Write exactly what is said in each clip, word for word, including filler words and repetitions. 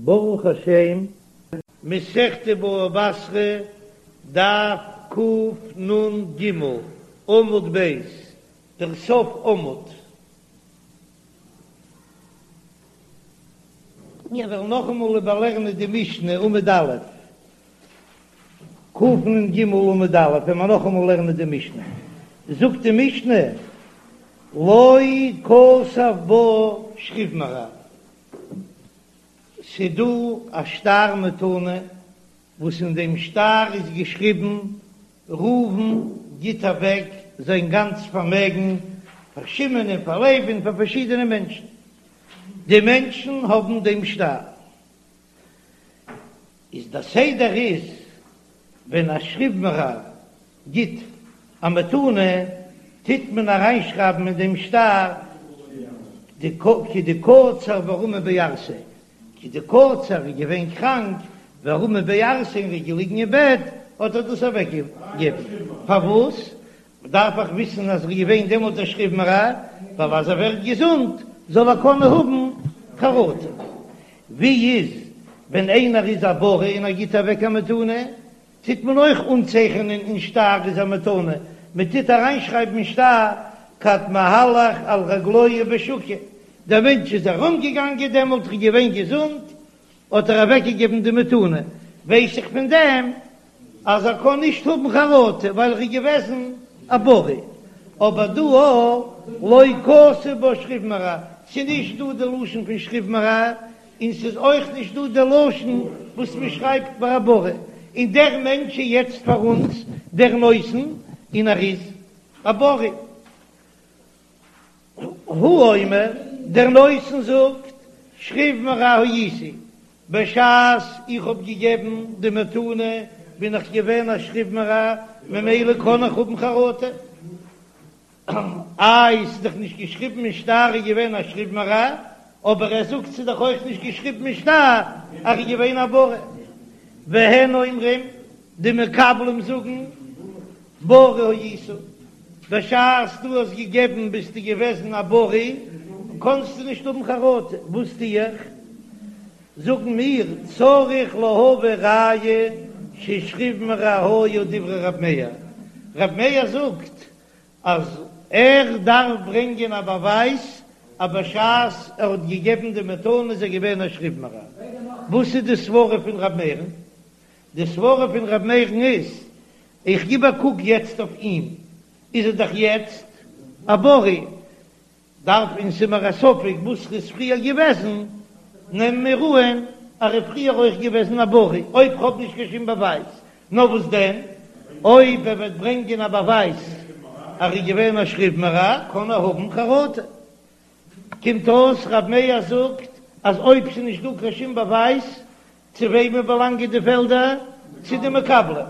ברוך השם, מסכת בבא בתרא, דף קנ"ג, עמוד ב', דער סוף עמוד. מיר וועלן נאכאמאל איבערלערנען די משנה עמוד א', קנ"ג עמוד א', וועלן מיר נאכאמאל לערנען די משנה. זאגט די משנה, לא כתב בה שכיב מרע. ס'דא א שטר מתנה וואס אין דעם שטר איז געשריבן ראובן גיט אוועק זיין גאנץ פארמעגן פאר שמעון און פאר לוי און פאר פארשידענע מענטשן, די מענטשן האבן דעם שטר. איז דער סדר איז ווען א שכיב מרע גיט א מתנה טוט מען אריינשרייבן אין דעם שטר כדקצר ורמי בערסיה, כדקצר איז געווען קראנק ורמי בערסיה און איז געליגן אין בעט האט ער דאס אוועק געגעבן, פארוואס דארף איך וויסן אז ער איז געווען דעמאלט א שכיב מרע, ווייל אז ער ווערט געזונט זאל ער קענען האבן חרטה. ווי איז ווען איינער איז א בריא און ער גיט אוועק א מתנה, טוט מען אויך אנצייכענען אין שטר איז א מתנה, מען טוט אריינשרייבן אין שטר כד מהלך על רגלוהי בשוקא, דער מענטש איז ארומגעגאנגען דעמאלט ער איז געווען געזונט האט ער אוועקגעגעבן די מתנה, ווייס איך פון דעם אז ער קען נישט האבן חרטה ווייל ער איז געוועזן א בריא, אבער דא לא כתב בה שכיב מרע, ס'איז נישט דא די לשון פון שכיב מרע, און ס'איז אויך נישט דא די לשון וואס מען שרייבט ביי א בריא, און דער מענטש איז יעצט פאר אונז דער נותן און ער איז א בריא. הוא אומר, דער נותן זאגט, שכיב מרע הייתי, בשעת איך האב געגעבן די מתנה בין איך געווען א שכיב מרע, ממילא קען איך האבן חרטה. איי, ס'איז דאך נישט געשריבן אין שטר ער איז געווען א שכיב מרע, אבער ער זאגט ס'איז דאך אויך נישט געשריבן אין שטר אז ער איז געווען א בריא. והן אומרים, די מקבלים זאגן, בריא היית, בשעת דו האסט געגעבן ביסטו געוועזן א בריא, קאנסטו נישט האבן חרטה, וואס טו איך? זאגן מיר, צריך להביא ראיה ששכיב מרע היה דברי רב מאיר, רב מאיר זאגט אז ער דארף ברענגען א באווייז אז בשעת ער האט געגעבן די מתנה איז ער געווען א שכיב מרע. וואס איז די סברה פון רב מאיר'ן? די סברה פון רב מאיר'ן איז, איך גיב א קוק יעצט אויף אים, איז ער דאך יעצט א בריא, דארף און ס'איז מיר א ספק וואס ר'איז פריער געוועזן, נעמען מיר אן אז ר'איז פריער אויך געוועזן א בריא, אויב כ'האב נישט קיין שום באווייז, נאר וואס דען אויב ער וועט ברענגען א באווייז אז ר'איז געווען א שכיב מרע, קען ער האבן חרטה. קומט אויס רב מאיר זאגט אז אויב ס'איז נישט דא קיין שום באווייז, צו וועמען באלאנגען די פעלדער? צו די מקבלים.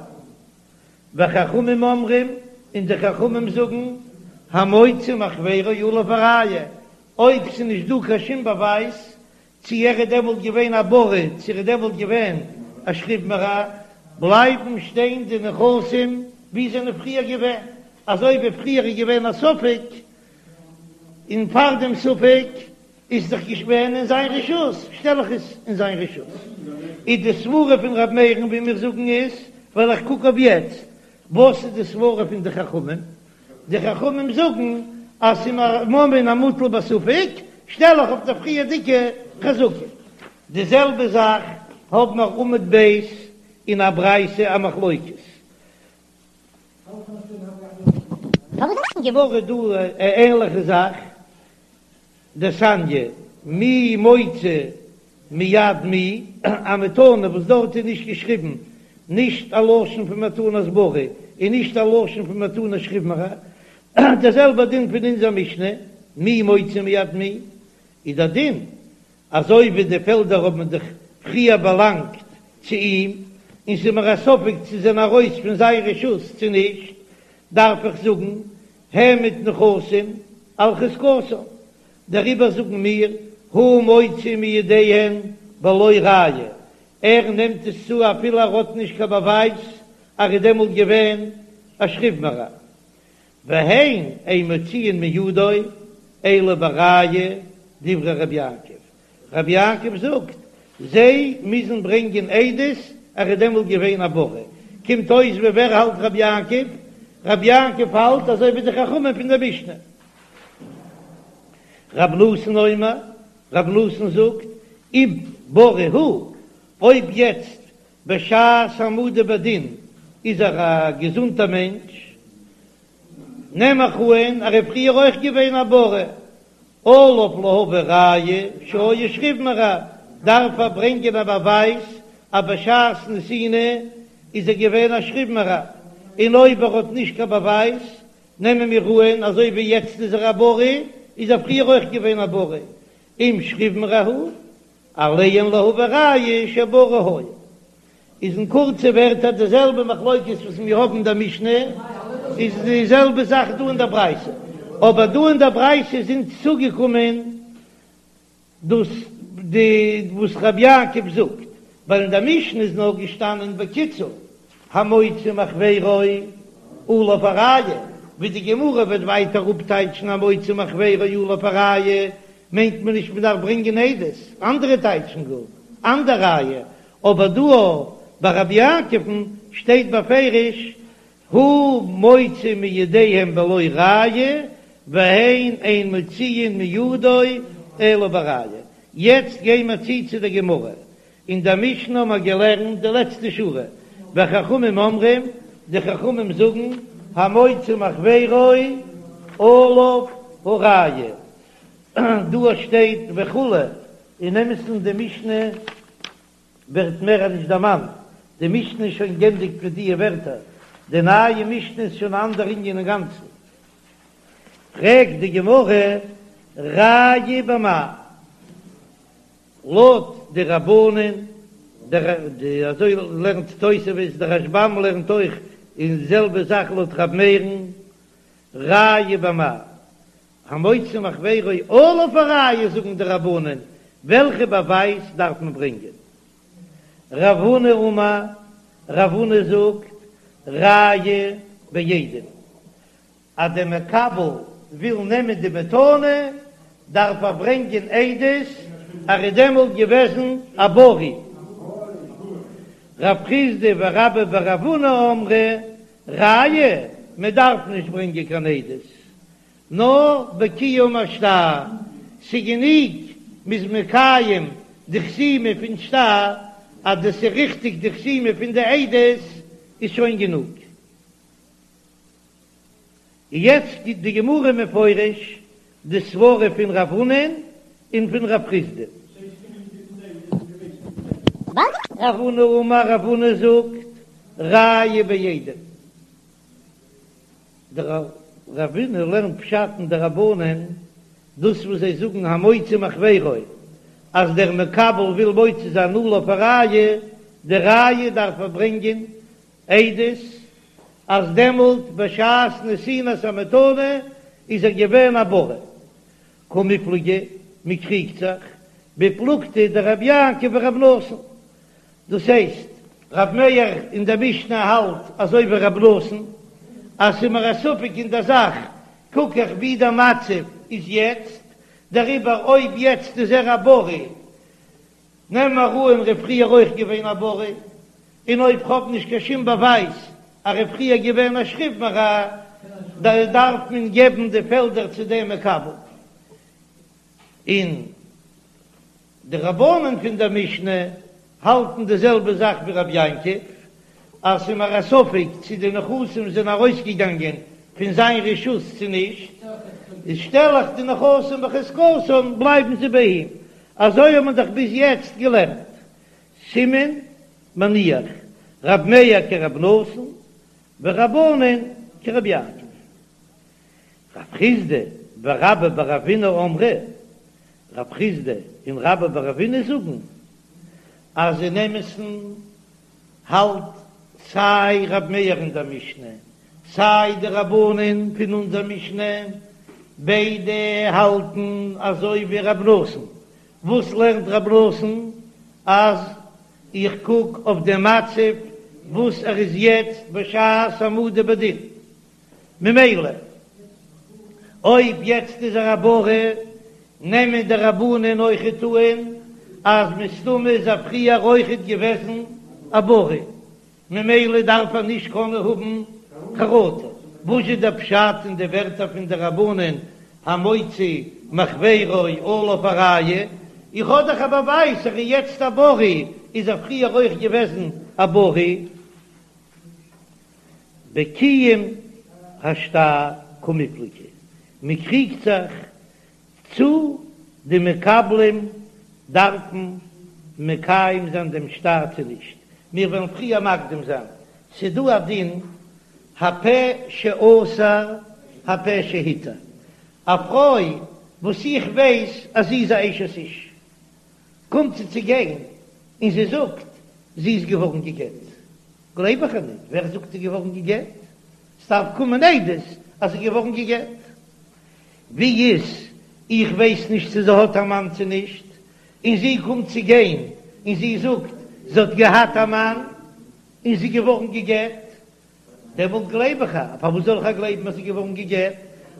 וחכמים אומרים, און די חכמים זאגן, המוציא מחבירו עליו הראיה, אויב ס'איז נישט דא קיין שום באווייז צי ער איז דעמאלט געווען א בריא צי ער איז דעמאלט געווען א שכיב מרע, בלייבן שטיין די נכסים ווי זענען פריער געווען, אזוי ווי פריער איז געווען א ספק, און פאר דעם ספק איז דאך געווען אין זיין רשות, שטעל איך עס אין זיין רשות. איז די סברה פון ר' מאיר'ן ווי מיר זאגן איז, ווייל איך קוק אויף יעצט, וואס איז די סברה פון די חכמים? די חכמים זאגן אז ס'איז ממון המוטל בספק, שטעל איך אויף די פריערדיגע חזקה. די זעלבע זאך האבן מיר עמוד ב' אין א ברייתא א מחלוקת. גמרא דא א ענליכע זאך, דתניא, מי מוציא מיד מי, א מתנה וואס דארט איז נישט געשריבן נישט א לשון פון מתנת בריא און נישט א לשון פון מתנת שכיב מרע, דער זעלבער דין פון אונזער משנה, מי מוציא מיד מי, איז דער דין אזוי ווי די פעלדער האבן דאך פריער באלאנגט צו אים, און ס'איז מיר א ספק צו זענען ארויס פון זיין רשות צו נישט, דארף איך זאגן העמד נכסים על חזקתן, דעריבער זאגן מיר הוא מוציא מידיהן בלא ראיה, ער נעמט עס צו אפילו ער האט נישט קיין באווייז אז ער איז דעמאלט געווען א שכיב מרע, והן אין מוציאין מידו אלא בראיה דברי רבי יעקב, רבי יעקב זאגט זיי מוזן ברענגען עדות ער איז דעמאלט געווען א בריא, קומט אויס ווי ווער האלט רבי יעקב? רבי יעקב האלט אזוי ווי די חכמים פון דער משנה. רבי נתן אומר, רבי נתן זאגט, אם בריא הוא, אויב יעצט בשעת העמדה בדין איז ער א געזונטער מענטש, נעם איך אן ער איז פריער אויך געווען א בריא, עליו להביא ראיה שהיה שכיב מרע, דארף ער ברענגען א באווייז אז בשעת נתינה איז ער געווען א שכיב מרע, און אויב ער האט נישט קיין באווייז נעמען מיר אן אזוי ווי יעצט איז ער א בריא איז ער פריער אויך געווען א בריא, אם שכיב מרע הוא, עליהן להביא ראיה שבריא היה. איז אין קורצע ווערטער די זעלבע מחלוקת וואס מיר האבן אין דער משנה, איז די זעלבע זאך דא אין דער ברייתא, אבער דא אין דער ברייתא איז אונז צוגעקומען דאס די וואס רבי יעקב זאגט, ווייל אין דער משנה איז נאר געשטאנען בקיצור המוציא מחבירו עליו הראיה, ווי די גמרא וועט ווייטער אפטייטשן המוציא מחבירו עליו הראיה מיינט מען נישט מען דארף ברענגען עדות, אנדערע טייטשן גאר אנדער ראיה, אבער דא ביי רבי יעקב'ן שטייט בפירוש הוא מוציא מידיהם בלא ראיה והן אין מוציאין מידו אלא בראיה. יעצט גיי מיר צו צו די גמרא, אין דער משנה האבן מיר געלערנט די לעצטע שורה, וחכמים אומרים, די חכמים זאגן, המוציא מחבירו עליו הראיה, דא שטייט וכו', אין אמת'ן די משנה ווערט מער נישט דערמאנט, די משנה איז שוין גענדיגט מיט דיע ווערטער, די נייע משנה איז שוין א אנדער ענין אינגאנצן. פרעגט די גמרא, ראיה במאי? לויט די רבנן, די אזוי לערנט תוספות, די רשב"ם לערנט אויך און די זעלבע זאך לויט ר' מאיר'ן, ראיה במאי? המוציא מחבירו עליו הראיה זאגן די רבנן, וועלכע באווייז דארף מען ברענגען? רב הונא אמר, רב הונא זאגט, ראיה בעדים, אז דער מקבל וויל נעמען די מתנה דארף ער ברענגען עדות אז ער איז דעמאלט געוועזן א בריא. רב חסדא ורבה בר רב הונא אמרי, ראיה, מען דארף נישט ברענגען קיין עדות, נאר בקיום השטר, ס'גענוג מ'איז מקיים די חתימה פון שטר, אז דאס איז ריכטיג די חתימה פון די עדות איז שוין גענוג. יעצט גיט די גמרא מפורש די סברה פון רב הונא'ן און פון רב חסדא. רב הונא אמר רב הונא זאגט ראיה בעדים. דער רב הונא לערנט פשט אין די רבנן דאס וואס זיי זאגן המוציא מחבירו אז דער מקבל וויל מוציא זיין עליו הראיה, די ראיה דארף ער ברענגען עדות אז דעמאלט בשעת נתינת המתנה איז ער געווען א בריא. קמיפלגי, מען קריגט זיך, בפלוגתא דרבי יעקב ורבי נתן, דאס הייסט, רב מאיר אין דער משנה האלט אזוי ווי רבי נתן, אז ס'איז מיר א ספק אין דער זאך, קוק איך ווי דער מצב איז יעצט, דעריבער אויב יעצט איז ער א בריא, נעם מיר אן ער איז פריער אויך געווען א בריא, און אויב כ'האב נישט קיין שום באווייז אז ער איז פריער געווען א שכיב מרע, דארף מען געבן די פעלדער צו דעם מקבל. און די רבנן פון דער משנה האלטן די זעלבע זאך ווי רבי יעקב, אז ס'איז מיר א ספק צו די נכסים זענען ארויסגעגאנגען פון זיין רשות צו נישט, איז שטעל איך די נכסים בחזקתן בלייבן זיי ביי אים, אזוי האט מען דאך ביז יעצט געלערנט, סימן מניח, רב מאיר כרב נתן ורבנן כרבי יעקב. רב חסדא ורבה בר רבינא אמרי, רב חסדא און רבה בר רבינא זאגן אז אין אמת'ן האלט סיי רב מאיר אין דער משנה סיי די רבנן פון אונזער משנה, ביידע האלטן אזוי ווי רב נתן, וואס לערנט רב נתן? אז איך קוק אויף דעם מצב וואס ער איז יעצט בשעת העמדה בדין, ממילא אויב יעצט איז ער א בריא, נעמען די רבנן אויכעט אן אז מסתמא איז ער פריער אויכעט געוועזן א בריא, ממילא דארף ער נישט קענען האבן חרטה. וואס איז דער פשט אין די ווערטער פון די רבנן המוציא מחבירו עליו הראיה? איך האב דאך א באווייז ער איז יעצט א בריא, איז ער פריער אויך געוועזן א בריא? בקיום השטר קמיפלגי, מען קריגט זיך צו די מקבלים דארפן מקיים זיין דעם שטר צו נישט, מיר וועלן פריער מקדים זיין, ס'דא א דין הפה שאסר הפה שהתיר, א פרוי וואס איך ווייס אז זי איז א אשת איש, קומט זי צו גיין און זי זאגט זי איז געווארן גע'גט, גלייב איך איר ניט, ווער זאגט זי איז געווארן גע'גט? ס'דארף קומען עדות אז זי איז געווארן גע'גט. ווי איז, איך ווייס נישט צו זי האט א מאן צו נישט, און זי קומט צו גיין און זי זאגט זי האט געהאט א מאן און זי איז געווארן גע'גט, דעמאלט גלייב איך איר. פארוואס זאל איך איר גלייבן אז זי איז געווארן גע'גט?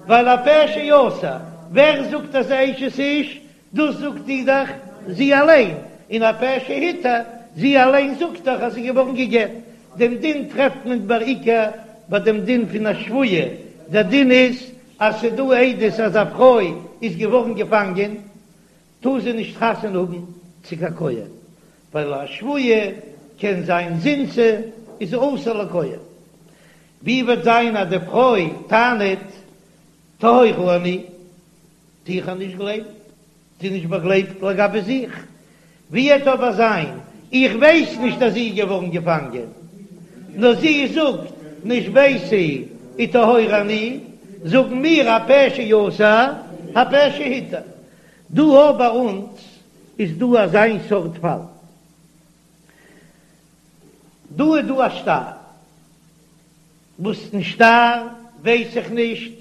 ווייל הפה שאסר, ווער זאגט אז זי איז אשת איש? דאס זאגט זי דאך זי אליין, און הפה שהתיר, זי אליין זאגט דאך אז זי איז געווארן גע'גט. דעם דין טרעפט מען בעיקר ביי דעם דין פון א שבויה, דער דין איז אז ס'איז דא עדות אז א פרוי איז געווארן געפאנגען, טאר זי נישט חתונה האבן צו קיין כהן, ווייל א שבויה קען זיין זינתה איז זי אסור לכהן. ווי וועט זיין אז די פרוי טענה'ט טהורה אני, טו איך איר נישט גלייבן, זי איז נישט באגלייבט לגבי זיך. ווי וועט אבער זיין, איך ווייס נישט אז זי איז געווארן געפאנגען, נאר זי זאגט נשביתי וטהורה אני, זאגן מיר הפה שאסר הפה שהתיר. דא אבער ביי אונז איז דא אזיין סארט פאל. דא איז דא א שטר, וואס אין שטר ווייס איך נישט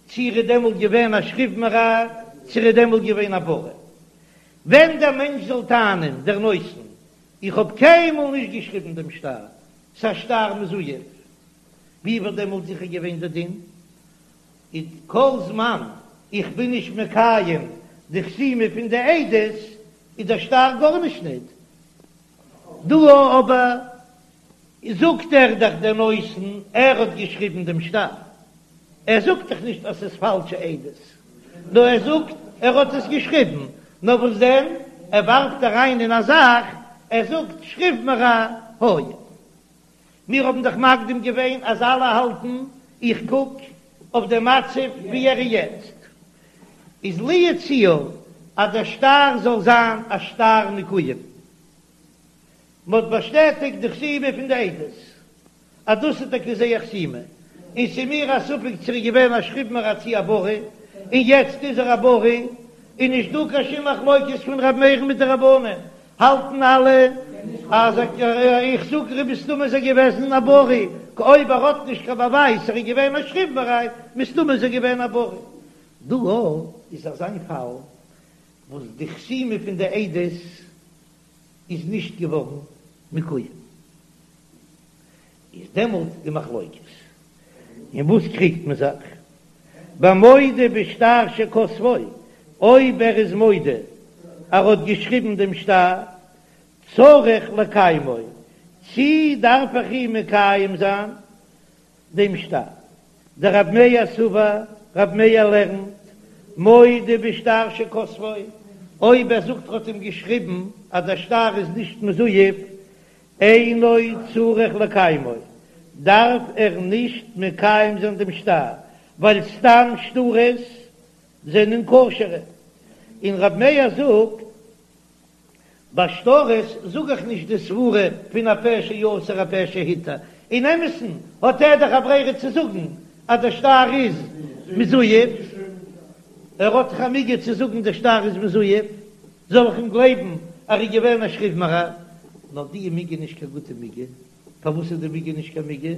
צו ער איז דעמאלט געווען א שכיב מרע צו ער איז דעמאלט געווען א בריא. ווען דער מענטש זאל טענה'ן דער נותן, איך האב קיינמאל נישט געשריבן דעם שטר, ס'א שטר מזויף, ווי וואלט דעמאלט זיכער געווען דער דין? איז כל זמן איך בין נישט מקיים די חתימה פון די עדות איז דער שטר גארנישט ניט. דא אבער זאגט ער דאך דער נותן ער האט געשריבן דעם שטר, ער זאגט דאך נישט אז ס'איז פאלשע עדות, נאר ער זאגט ער האט עס געשריבן, נאר וואס דען ער ווארפט אריין אין א זאך, ער זאגט שכיב מרע היה. מיר האבן דאך מקדים געווען אז אלע האלטן איך קוק אויף די מצב ווי ער איז יעצט, איז לו יצוייר אז דער שטר זאל זיין א שטר מקוים, מען האט באשטעטיגט די חתימה פון די עדות אז דאס איז טאקע זייער חתימה, און ס'איז מיר א ספק צו ער איז געווען א שכיב מרע צו א בריא, און יעצט איז ער א בריא, איז נישט דא קיין שום מחלוקת פון ר' מאיר'ן מיט די רבנן, האלטן אלע אז איך זאג ר' מסתמא איז ער געוועזן א בריא, אויב ער האט נישט קיין באווייז ער איז געווען א שכיב מרע, מסתמא איז ער געווען א בריא. דא איז אזא פאל וואס די חתימה פון די עדות איז נישט געווארן מקוים, איז דעמאלט די מחלוקת אין וואס קריגט מען זיך? במודה בשטר שכתבו, אויב ער איז מודה ער האט געשריבן דעם שטר, צריך לקיימו, צי דארף איך אים מקיים זיין דעם שטר? דרב מאיר סבר, רב מאיר לערנט, מודה בשטר שכתבו, אויב ער זאגט ער האט אים געשריבן אז דער שטר איז נישט מזויף, אינו צריך לקיימו, דארף ער נישט מקיים זיין דעם שטר, ווייל סתם שטרות זענען כשר'ע, און רב מאיר זאגט, ביי שטרות זאג איך נישט די סברה פון הפה שאסר הפה שהתיר, אין אמת'ן האט ער דאך א ברירה צו זאגן אז דער שטר איז מזויף, ער האט דאך א מיגו צו זאגן דער שטר איז מזויף, זאל איך אים גלייבן אז ער איז געווען א שכיב מרע? נאר די מיגו איז נישט קיין גוטע מיגו, פארוואס איז די מיגו נישט קיין מיגו?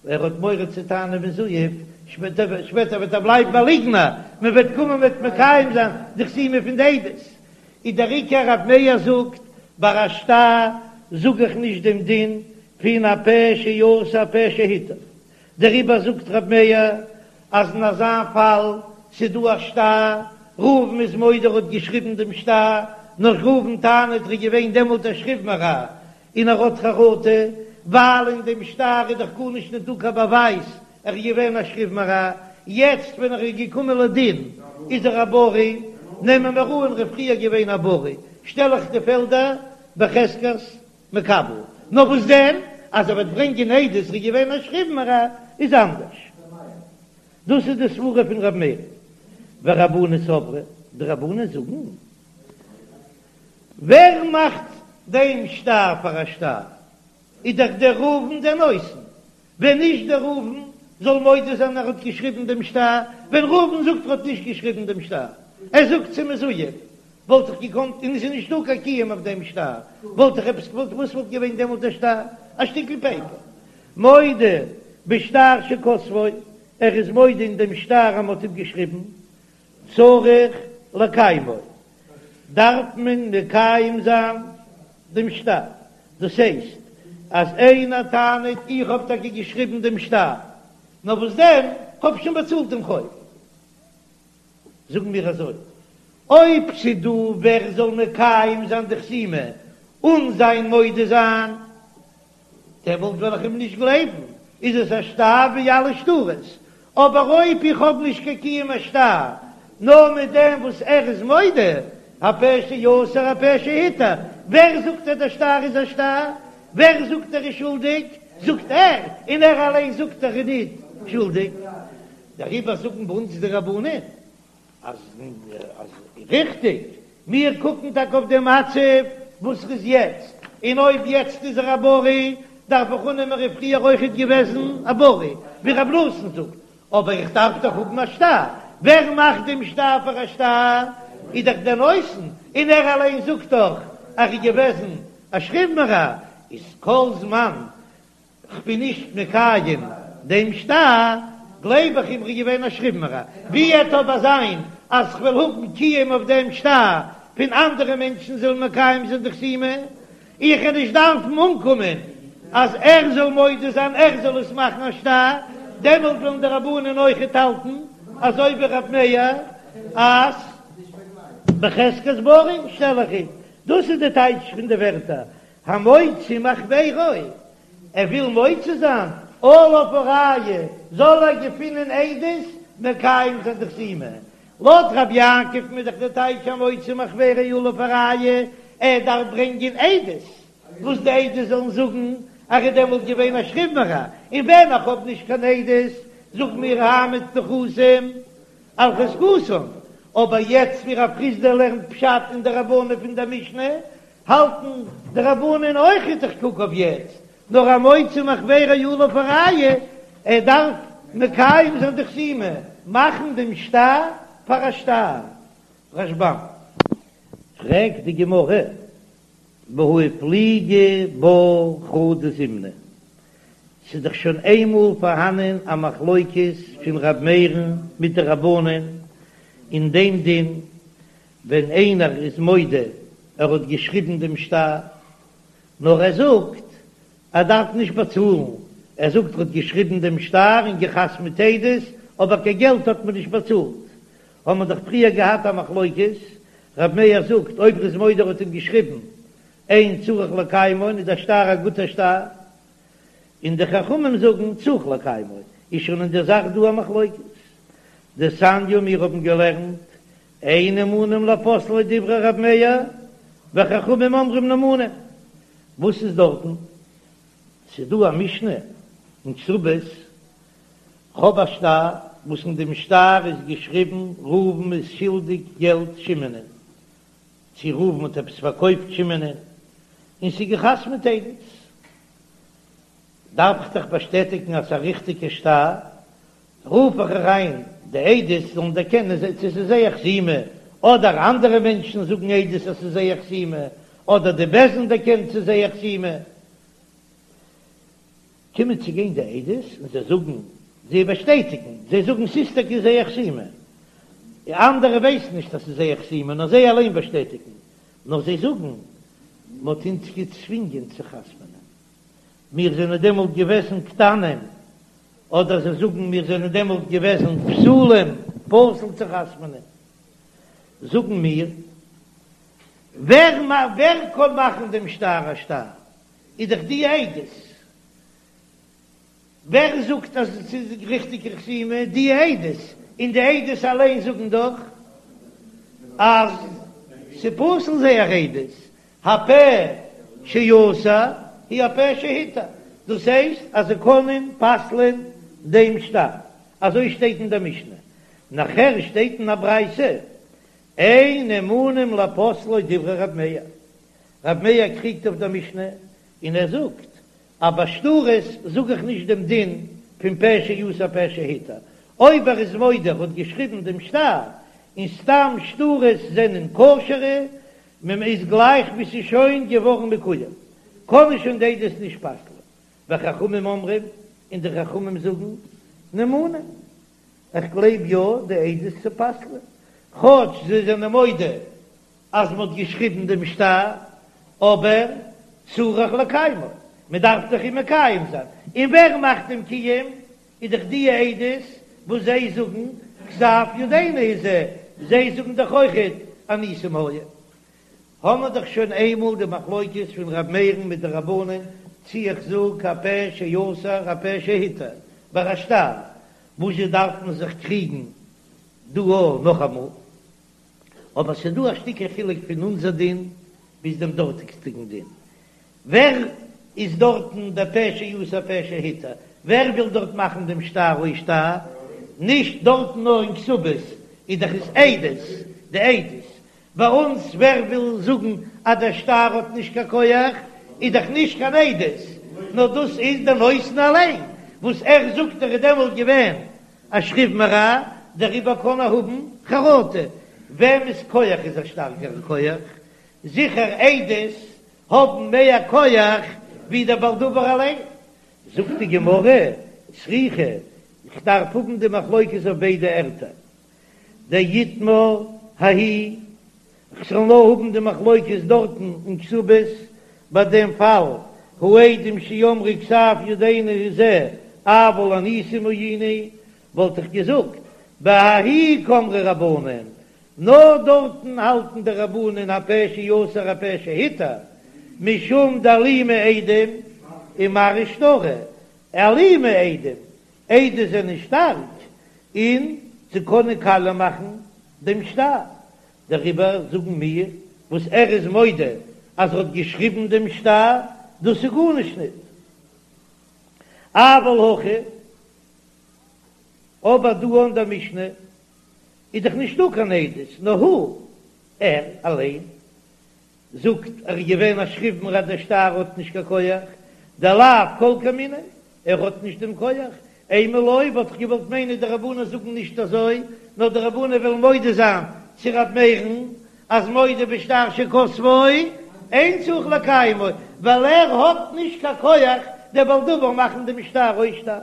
ער האט מורא צו טענה'ן מזויף, שפעטער וועט ער בלייבן א ליגנער, מען וועט קומען מ'וועט מקיים זיין די חתימה פון די עדות. איז דער עיקר רב מאיר זאגט ביי א שטר זאג איך נישט דעם דין פון הפה שאסר הפה שהתיר, דעריבער זאגט רב מאיר אז אין אזא פאל ס'דא א שטר, ראובן איז מודה ער האט געשריבן דעם שטר, נאר ראובן טענה'ט ער איז געווען דעמאלט א שכיב מרע און ער האט חרטה, ווייל אין דעם שטר איז דאך גארנישט נישט דא קיין באווייז ער איז געווען א שכיב מרע, יעצט ווען ער איז געקומען לדין איז ער א בריא, נעמען מיר אן ער איז פריער געווען א בריא, שטעל איך די פעלדער בחזקת מקבל, נאר וואס דען אז ער וועט ברענגען עדות ער איז געווען א שכיב מרע איז אנדערש. דאס איז די סברה פון ר' מאיר. ורבנן סברי, די רבנן זאגן, ווער מאכט דעם שטר פאר א שטר? איז דאך דער ראובן דער נותן, ווען נישט דער ראובן זאל מודה זיין ער האט געשריבן דעם שטר, ווען ראובן זאגט ער האט נישט געשריבן דעם שטר, ער זאגט ס'איז מזויף, וואלט איך געקאנט, און עס איז נישטא קיין קיום אויף דעם שטר, וואלט איך עפעס געוואלט, וואס וואלט געווען דעמאלט דער שטר? א שטיקל פעיפער. מודה בשטר שכתבו, ער איז מודה אין דעם שטר אז מען האט אים געשריבן, צריך לקיימו, דארף מען מקיים זיין דעם שטר, דאס הייסט אז איינער טענה'ט איך האב טאקע געשריבן דעם שטר, נאר וואס דען, כ'האב שוין באצאלט דעם חוב. זאגן מיר אזוי, אויב ס'דא ווער זאל מקיים זיין די חתימה אן זיין מודה זיין, דעמאלט וועל איך אים נישט גלייבן, איז עס א שטר ווי אלע שטרות, אבער אויב איך האב נישט קיין קיום השטר, נאר מיט דעם וואס ער איז מודה, הפה שאסר הפה שהתיר, ווער זאגט אז דער שטר איז א שטר? ווער זאגט ער איז שולדיג? זאגט ער, און ער אליין זאגט ער איז ניט שולדיג. דעריבער זאגן ביי אונז די רבנן אז אז ריכטיג, מיר קוקן טאקע אויף די מצב וואס ס'איז יעצט, און אויב יעצט איז ער א בריא, דארף איך אננעמען ער איז פריער אויכעט געוועזן א בריא, ווי רב נתן זאגט, אבער איך דארף דאך האבן א שטר, ווער מאכט דעם שטר פאר א שטר? איז דאך דער נותן, און ער אליין זאגט דאך אז ער איז געוועזן א שכיב מרע, איז כל זמן כ'בין נישט מקיים דעם שטר, גלייב איך אים ר'איז געווען א שכיב מרע. ווי עט אבער זיין אז כ'וועל האבן קיום אויף דעם שטר פון אנדערע מענטשן זאלן מקיים זיין די חתימה, איך וועל נישט דארפן אנקומען אז ער זאל מודה זיין ער זאל עס מאכן א שטר, דעמאלט וועלן די רבנן אויכעט האלטן אזוי ווי רב מאיר אז בחזקת בריא שטעל איך אים. דאס איז די טייטש פון די ווערטער המוציא מחבירו, ער וויל מוציא זיין, עליו הראיה, זאל ער געפינען עדות מקיים זיין די חתימה. לויט רבי יעקב איז דאך די טייטש המוציא מחבירו עליו הראיה, ער דארף ברענגען עדות, וואס די עדות זאלן זאגן אז ער איז דעמאלט געווען א שכיב מרע, און ווען איך האב נישט קיין עדות, זאג מיר העמד נכסים על חזקתן, אבער יעצט ווי רב חסדא לערנט פשט אין די רבנן פון דער משנה, האלטן די רבנן אויכעט איך קוק אויף יעצט, נאר המוציא מחבירו עליו הראיה, ער דארף מקיים זיין די חתימה, מאכן דעם שטר פאר א שטר. רשב"ם. פרעגט די גמרא, והא איפליגו בה חדא זימנא, ס'איז דאך שוין איינמאל פארהאנען א מחלוקת פון ר' מאיר'ן מיט די רבנן אין דעם דין, ווען איינער איז מודה ער האט געשריבן דעם שטר, נאר ער זאגט ער דארף נישט באצאלן, ער זאגט ער האט געשריבן דעם שטר און געחתמ'ט עדות, אבער קיין געלט האט מען נישט באצאלט, האבן מיר דאך פריער געהאט א מחלוקת, ר' מאיר זאגט אויב ער איז מודה ער האט אים געשריבן אין צריך לקיימו איז דער שטר א גוטער שטר, און די חכמים זאגן צריך לקיימו, איז שוין אין דער זאך דא א מחלוקת. דתניא מיר האבן געלערנט אין נאמנים לפוסלי דברי ר' מאיר, וחכמים אומרים נאמנים. וואס איז דארטן? ס'איז דא א משנה אין כתובות, כ'האב א שטר וואס אין דעם שטר איז געשריבן ראובן איז שולדיג געלט שמעונ'ען, צו ראובן האט עפעס פארקויפט שמעונ'ען, און ס'איז געחתמ'ט עדות. דארף איך דאך באשטעטיגן אז ס'איז א ריכטיגע שטר, רוף איך אריין די עדות זאלן דערקענען צו ס'איז זייער חתימה, אדער אנדערע מענטשן זאגן עדות אז ס'איז זייער חתימה, אדער די בית דין דערקענט ס'איז זייער חתימה. קומען צו גיין די עדות און זיי זאגן, זיי באשטעטיגן, זיי זאגן ס'איז טאקע זייער חתימה. אנדערע ווייסן נישט אז ס'איז זייער חתימה, נאר זיי אליין באשטעטיגן. נאר זיי זאגן, מ'האט אונז געצווינגען צו חתמ'נען. מיר זענען דעמאלט געוועזן קטנים, אדער זיי זאגן מיר זענען דעמאלט געוועזן פסולים, פסול צו חתמ'נען. זאגן מיר, ווער ווער קען מאכן דעם שטר א שטר? איז דאך די עדות. ווער זאגט אז עס איז ריכטיגע חתימה? די עדות, און די עדות אליין זאגן דאך אז ס'פסול זייער עדות, הפה שאסר הוא הפה שהתיר, דאס הייסט אז זיי קענען פסל'ען דעם שטר, אזוי שטייט אין דער משנה, נאכער שטייט אין א ברייתא, אין נאמנים לפוסלו דברי רב מאיר, רב מאיר קריגט אויף דער משנה און ער זאגט אז ביי שטרות זאג איך נישט דעם דין פון פה שאסר פה שהתיר, אויב ער איז מודה ער האט געשריבן דעם שטר, און סתם שטרות זענען כשר'ע, ממ איז גלייך ווי ס'איז שוין געווארן מקוים, קענען שוין די עדות נישט פסל'ען, וחכמים אומרים, און די חכמים זאגן, נאמנים, איך גלייב יא די עדות צו פסל'ען, כאטש זיי זענען מודה אז מ'האט געשריבן דעם שטר, אבער צריך לקיימו, מ'דארף דאך אים מקיים זיין, און ווער מאכט דעם קיום? איז דאך די עדות וואס זיי זאגן כתב ידינו הוא זה, זיי זאגן דאך אויכעט אנוסים היו. האמער דאך שוין איינמאל די מחלוקת פון ר' מאיר'ן מיט די רבנן צי איך זאג הפה שאסר הפה שהתיר ביי א שטר, וואזשע דארף מען זיך קריגן דא נאכאמאל? אבער ס'דא א שטיקל חילוק פון אונזער דין ביז דעם דארטיגסטיגן דין. ווער איז דארטן דער פה שאסר פה שהתיר? ווער וויל דארט מאכן דעם שטר אויס שטר? נישט דארטן נאר אין כתובות איז דאך עס עדות, די עדות. ביי אונז ווער וויל זאגן אז דער שטר האט נישט קיין כח איז דאך נישט קיין עדות, נאר דאס איז דער נותן אליין וואס ער זאגט ער איז דעמאלט געווען א שכיב מרע, דעריבער קען ער האבן חרטה. וועמענס כח איז א שטארקערע כח? זיכער עדות האבן מער כח ווי דער בעל דבר אליין. זאגט די גמרא, צריכא, איך דארף האבן די מחלוקת אויף ביידע ערטער, דאיתמר ההיא, כ'זאל נאר האבן די מחלוקת דארטן אין כתובות, ביי דעם פאל, העדים שאמרו כתב ידינו הוא זה, אבל אנוסים היינו, וואלט איך געזאגט, בההיא קאמרי רבנן, נאר דארטן האלטן די רבנן הפה שאסר הפה שהתיר, משום דאלימי עדים ומרעי שטרא, אלימי עדים, עדות זענען שטארק און זיי קענען קאליע מאכן דעם שטר, דעריבער זאגן מיר וואס ער איז מודה אז ער האט געשריבן דעם שטר, דאס איז גארנישט ניט. אבל הכא, אבער דא אין דער משנה איז דאך נישטא קיין עדות, נאר הוא, ער אליין, זאגט ער איז געווען א שכיב מרע דער שטר האט נישט קיין כח, דלאו כל כמיניה, ער האט נישט דעם כח, אימא לא וואלט איך געוואלט מיינען די רבנן זאגן נישט אזוי, נאר די רבנן וועלן מודה זיין צו ר' מאיר'ן אז מודה בשטר שכתבו אין צריך לקיימו, ווייל ער האט נישט קיין כח דער בעל דבר מאכן דעם שטר אויס שטר.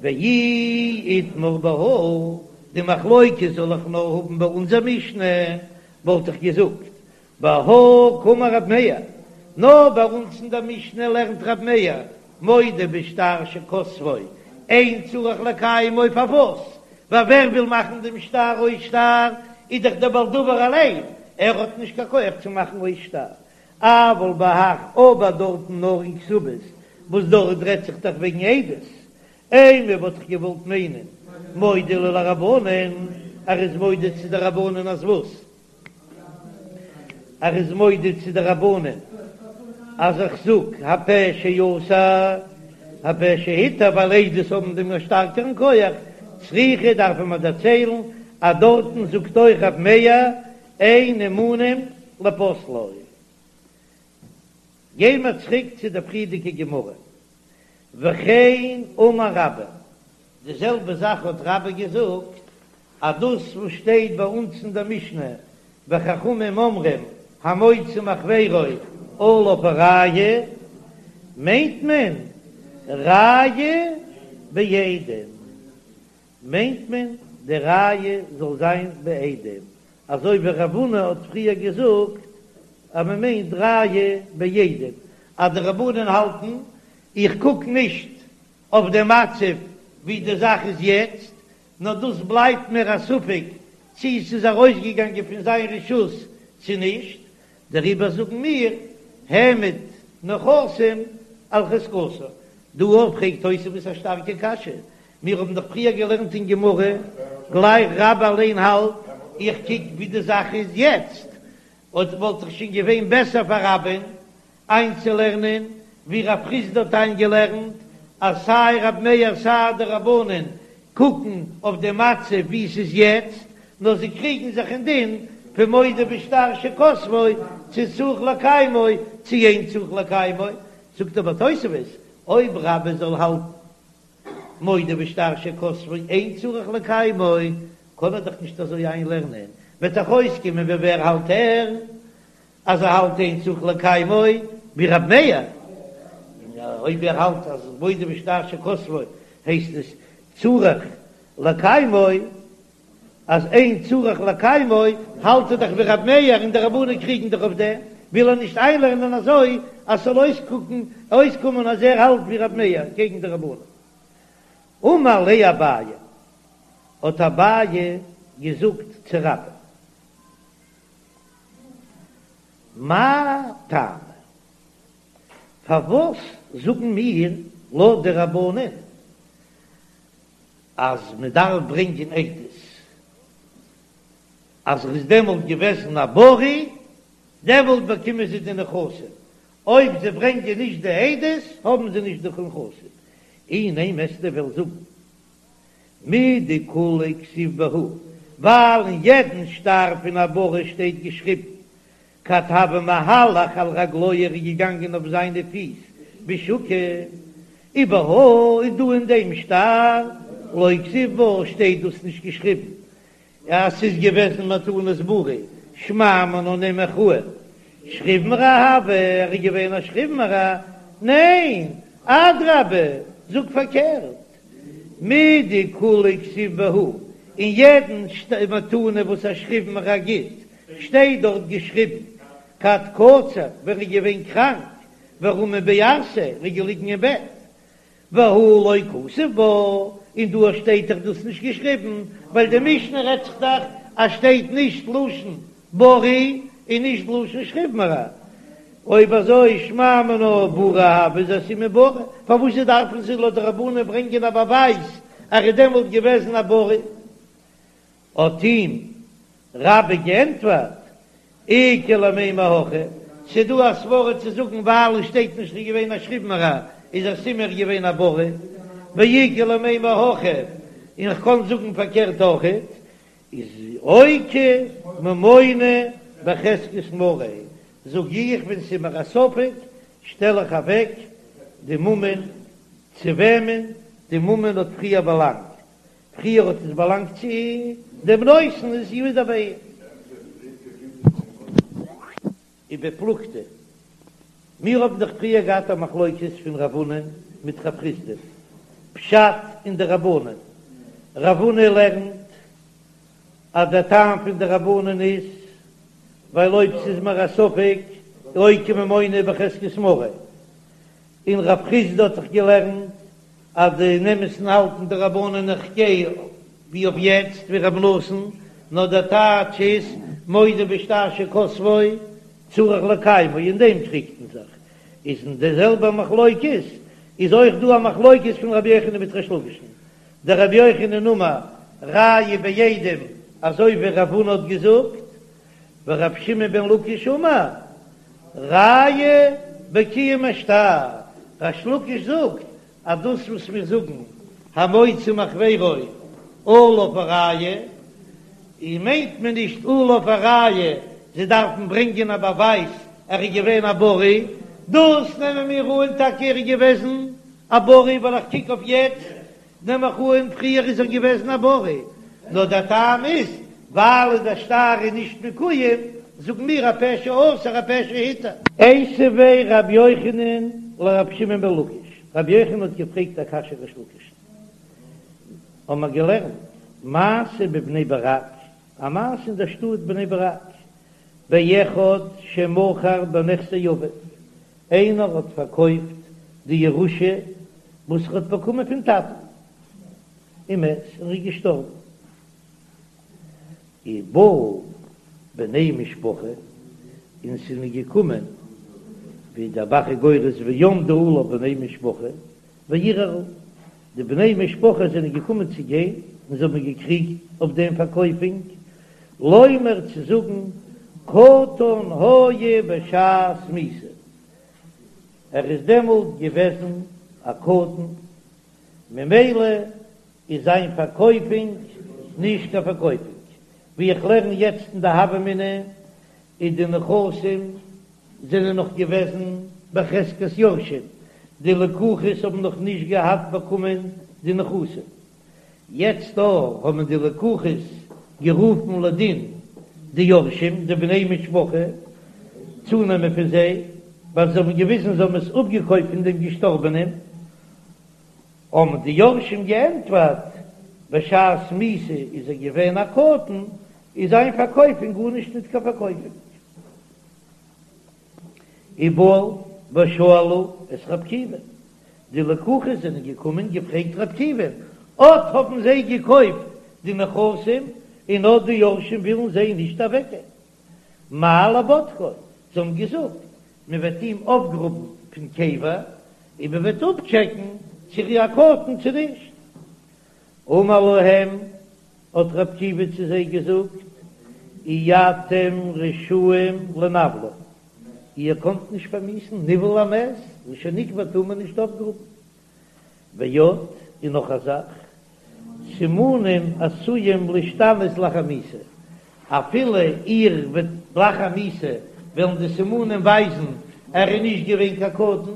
ואי איתמר בהא, די מחלוקת זאל איך נאר האבן ביי אונזער משנה, וואלט איך געזאגט בהא קאמר רב מאיר, נאר ביי אונז אין דער משנה לערנט רב מאיר מודה בשטר שכתבו אין צריך לקיימו פארוואס? ווייל ווער וויל מאכן דעם שטר אויס שטר איז דאך דער בעל דבר אליין, ער האט נישט קיין כח צו מאכן אויס שטר, אבל בהך אבער דארטן נאר אין כתובות וואס דארט רעדט זיך דאך וועגן עדות, אימא וואלט איך געוואלט מיינען מודה להו לרבנן, ער איז מודה צו די רבנן אז וואס? ער איז מודה צו די רבנן אז איך זאג הפה שאסר הפה שהתיר ווייל עדות האבן דעם שטארקערן כח, צריכא דארף מען דערציילן אז דארטן זאגט אויך רב מאיר אין נאמנים לפוסלו. גיי מיר צוריק צו די פריערדיגע גמרא, וכן אמר רבה, די זעלבע זאך האט רבה געזאגט, אז דאס וואס שטייט ביי אונז אין דער משנה וחכמים אומרים המוציא מחבירו עליו הראיה, מיינט מען ראיה בעדים, מיינט מען די ראיה זאל זיין בעדים, אזוי ווי רב הונא האט פריער געזאגט אז מען מיינט ראיה בעדים, אז די רבנן האלטן איך קוק נישט אויף די מצב ווי די זאך איז יעצט, נאר דאס בלייבט מיר א ספק צי ס'איז ארויסגעגאנגען פון זיין רשות צו נישט. דעריבער זאגן מיר העמד נכסים על חזקתו. דא אויך פרעגט תוספות א שטארקע קשיא, מיר האבן דאך פריער געלערנט אין גמרא, גלייך רבה אליין האלט, איך קוק ווי די זאך איז יעצט, אויב וואלט דאך שוין געווען בעסער פאר רבה'ן איינצולערנען ווי רב חסדא האט איינגעלערנט אז סיי רב מאיר סיי די רבנן קוקן אויף די מצב ווי ס'איז יעצט, נאר זיי קריגן זיך אין דין פון מודה בשטר שכתבו צו צריך לקיימו צו אין צריך לקיימו, זאגט אבער תוספות אויב רבה זאל האלטן מודה בשטר שכתבו אין צריך לקיימו קען ער דאך נישט אזוי איינלערנען, וועט דאך אויסקומען ווי ווער האלט ער אז ער האלט אין צריך לקיימו ווי רב מאיר, אויב ער האלט אז מודה בשטר שכתבו הייסט עס צריך לקיימו, אז אין צריך לקיימו האלט ער דאך ווי רב מאיר און די רבנן קריגן דאך אויף דעם, וויל ער נישט איינלערנען אזוי אז ס'זאל אויסקוקן אויסקומען אז ער האלט ווי רב מאיר קעגן די רבנן. אמר ליה אביי, האט אביי געזאגט צו רבה. מאי טעמא? פארוואס זאגן מיר לויט די רבנן אז מען דארף ברענגען עדות אז ער איז דעמאלט געוועזן א בריא, דעמאלט באקומען זיי די נכסים, אויב זיי ברענגען נישט די עדות האבן זיי נישט די נכסים, אי נימא וועסטו וועלן זאגן מדכולהו כתיב בהו, ווייל אין יעדן שטר פון א בריא שטייט געשריבן כד הוה מהלך על רגלוי ער איז געגאנגען אויף זיינע פיס בשוקא, ובהא און דא אין דעם שטר לא כתיב בה שטייט דאס נישט געשריבן אז ס'איז געוועזן מתנת בריא, שמע מינה נעם איך אן שכיב מרע הוה, ער איז געווען א שכיב מרע, ניין, אדרבה, זאג פארקערט, מדכולהו כתיב בהו, אין יעדן מתנה וואס א שכיב מרע גיט, שטייט דארט געשריבן, כד קצר, ווען ער איז געווען קראנק, ורמי בערסיה, ער איז געליגן אין בעט, והא לא כתיב בה, און דא שטייט דאך דאס נישט געשריבן, ווייל די משנה רעדט זיך דאך אז שטייט נישט לשון בריא און נישט לשון שכיב מרע, אויב אזוי שמע מינה בריא הוה איז א סימן בריא, פארוואס דארפן זיי לויט די רבנן ברענגען א באווייז אז ער איז דעמאלט געוועזן א בריא? האט אים רבה געענטפערט, איכא למימר הכי, ס'דא א סברא צו זאגן ווייל עס שטייט נישט ער איז געווען א שכיב מרע איז א סימן ער איז געווען א בריא, ואיכא למימר הכי, און כ'קען זאגן פארקערט אויכעט, איז אוקי ממונא בחזקת מריה, זאג איך ווען ס'איז מיר א ספק שטעל איך אוועק די ממון צו וועמען די ממון האט פריער באלאנגט, פריער האט עס באלאנגט צו דעם נותן איז ווידער ביי אים. ובפלוגתא, מיר האבן דאך פריער געהאט א מחלוקת פון רב הונא מיט רב חסדא, פשט אין די רבנן, רב הונא לערנט אז דער טעם פון די רבנן איז ווייל אויב ס'איז מיר א ספק אוקי ממונא בחזקת מריה, און רב חסדא האט דאך געלערנט אז אין אמת'ן האלטן די רבנן איך גיי ווי אויף יעצט ווי רב נתן, נאר דער טייטש איז מודה בשטר שכתבו צריך לקיימו אין דעם קריגט מען זיך, איז אין די זעלבע מחלוקת איז אויך דא א מחלוקת פון רבי יוחנן מיט ריש לקיש'ן, דרבי יוחנן אמר ראיה בעדים אזוי ווי רב הונא האט געזאגט, ורבי שמעון בן לקיש אמר ראיה בקיום השטר, ריש לקיש זאגט אז דאס וואס מיר זאגן המוציא מחבירו עליו הראיה, און מיינט מען נישט עליו הראיה זיי דארפן ברענגען א באווייז ער איז געווען א בריא, דאס נעמען מיר אן טאקע ער איז געוועזן א בריא ווייל איך קוק אויף יעצט נעם איך אן פריער איז ער געוועזן א בריא, נאר דער טעם איז ווייל דער שטר איז נישט מקוים, זאגן מיר הפה שאסר הפה שהתיר. איתיביה רבי יוחנן לרבי שמעון בן לקיש, רבי יוחנן האט געפרעגט א קשיא ריש לקיש'ן, האבן מיר געלערנט מעשה בבני ברק, א מעשה אין דער שטאט בני ברק, באחד שמכר בנכסי אביו, איינער האט פארקויפט די ירושה וואס ער האט באקומען פון טאטן, ומת, און ער איז געשטארבן. ובאו בני משפחה, און ס'איז מיר געקומען ווי דער ב"ח איז גורס ועמדו עליו בני משפחה וערערו, די בני משפחה זענען געקומען צו גיין און זיי האבן געקריגט אויף דעם פארקויפונג, לומר צו זאגן קטן היה בשעת מיתה, ער איז דעמאלט געוועזן א קטן, ממילא איז זיין פארקויפונג נישט קיין פארקויפונג, ווי איך לערן יעצט אין די הוה אמינא איז די נכסים זענען נאך געוועזן בחזקת יורשים, די לקוחות האבן נאך נישט געהאט באקומען די נכסים, יעצט דא האבן די לקוחות גערופן לדין די יורשים, די בני משפחה, צונעמען פון זיי, ווייל זיי האבן געוויזן זיי האבן עס אפגעקויפט פון דעם געשטארבענעם. האבן די יורשים געענטפערט, בשעת מיתה איז ער געווען א קטן, איז זיין פארקויפונג גארנישט ניט קיין פארקויפונג. ובאו ושאלו את ר' עקיבא, די לקוחות זענען געקומען געפרעגט ר' עקיבא, אט האבן זיי געקויפט די נכסים און אט די יורשים ווילן זיי נישט אוועקגעבן, מהו לבודקו, זיי האבן געזאגט, מען וועט אים אויפגראבן פון קבר און מען וועט אפטשעקן צו ער איז א קטן צו נישט. אמר להם, האט ר' עקיבא צו זיי געזאגט, אי אתם רשאים לנוולו, איר קאנט נישט פארמיאוסן ניוול המת, וואס שוין נקבר טאר מען נישט אויפגראבן. ועוד, און נאך א זאך, סימנים עשויים להשתנות לאחר מיתה, אפילו איר וועט לאחר מיתה וועלן די סימנים ווייזן ער איז נישט געווען קיין קטן,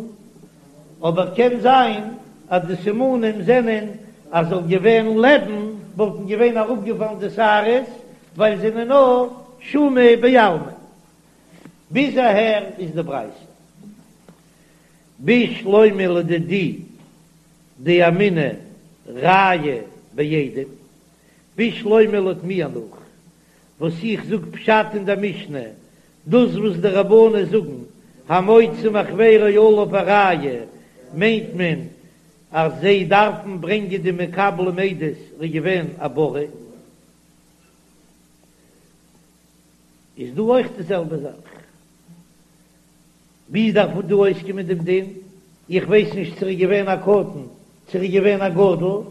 אבער קען זיין אז די סימנים זענען אז זאל געווען לעבן וואלטן געווען אראפגעפאלן די שערות ווייל זענען נאר שומא בעלמא. ביז אהער איז די ברייתא. בשלמא לדידי דאמינא ראיה בעדים, בשלמא לויט מיר נאך וואס איך זאג פשט אין דער משנה, דאס וואס די רבנן זאגן המוציא מחבירו עליו הראיה מיינט מען אז זיי דארפן ברענגען די מקבלים עדות ער איז געווען א בריא, איז דא אויך די זעלבע זאך. ווי דארף דא אויסקומען דעם דין? איך ווייס נישט צו ער איז געווען א קטן צו ער איז געווען א גדול,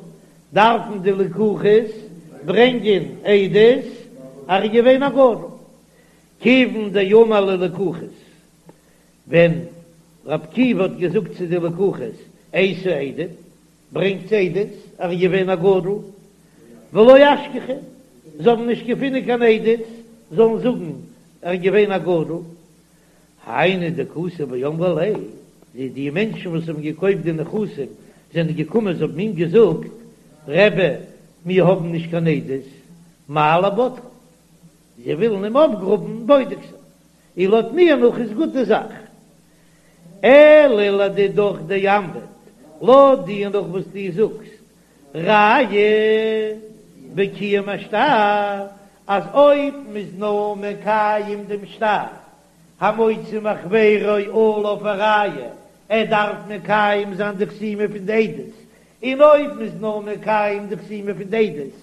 דארפן די לקוחות ברענגען עדות אז ער איז געווען א גדול. כיוון דאמר ללקוחות, ווען ר' עקיבא האט געזאגט צו די לקוחות, אייתו עדים, ברענגט עדות אז ער איז געווען א גדול, ולא אשכחו, זיי האבן נישט געפונען קיין עדות זאלן זאגן ער איז געווען א גדול, היינו דקאתו ואמרי ליה, די די מענטשן וואס האבן געקויפט די נכסים זענען געקומען זיי האבן אים געזאגט, רבי, מיר האבן נישט קיין עדות, מהו לבודקו, זיי ווילן אים אויפגראבן בודק זיין, און לויט מיר נאך איז גוט די זאך. אלא לדידך דאמרת, לויט דיר נאך וואס דו זאגסט, ראיה בקיום השטר, אז אויב מ'איז נאר מקיים דעם שטר, המוציא מחבירו עליו הראיה, ער דארף מקיים זיין די חתימה פון די עדות, און אויב מ'איז נאר מקיים די חתימה פון די עדות,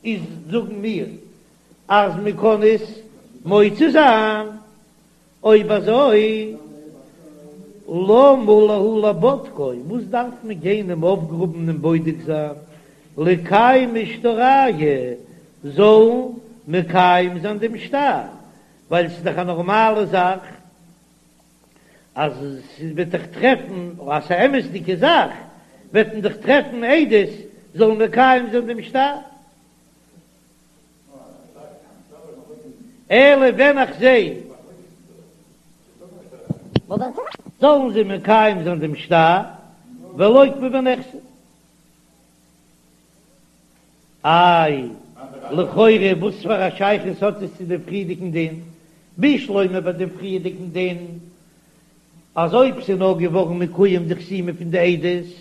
איז זאגן מיר אז מ'קען עס מוציא זיין. אויב אזוי למה להו לבודקו, וואס דארף מען גיין אים אויפגראבן און בודק זיין, ליקיימו שטרייהו, זאלן מקיים זיין דעם שטר, ווייל ס'איז דאך א נארמאלע זאך אז ס'וועט דאך טרעפן, אז ס'איז א אמת'דיגע זאך, וועט מען דאך טרעפן עדות זאלן מקיים זיין דעם שטר. אלא ווען איך זע זאלן זיי מקיים זיין דעם שטר ולוקמה בנכסי. איי, לכאורה וואס פאר א שייכות האט עס צו דעם פריערדיגן דין? בשלמא ביי דעם פריערדיגן דין אז אויב ס'איז נאר געווארן מקוים די חתימה פון די עדות,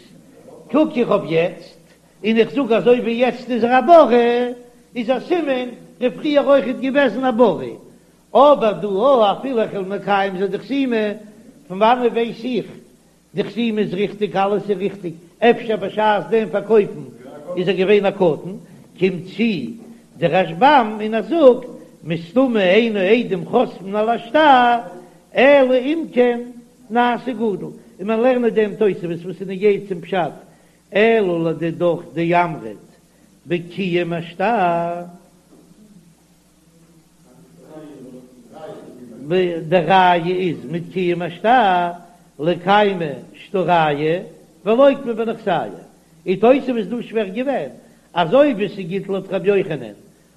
קוק איך אויף יעצט, און איך זאג אזוי ווי יעצט איז ער א בריא, איז א סימן ער פריער אויכעט געוועזן א בריא. אבער דא או אפילו איך וועל מקיים זיין די חתימה, פון וואנעט ווייס איך די חתימה איז ריכטיג אלעס איז ריכטיג, אפשר בשעת דעם פארקויפן איז ער געווען א קטן, קומט צו דער רשב"ם און ער זאגט מסתמא אין עדים חותמין על השטר אלא אם כן נעשה גדול, און מען לערנט דעם תוספות וואס איז נוגע צום פשט, אלא לדידך דאמרת בקיום השטר. די ראיה איז מיט קיום השטר לקיימי שטרייהו ולוקמי בנכסייהו, איז תוספות דא שווער געווען אז אויב עס איז גוט לויט ר' יוחנן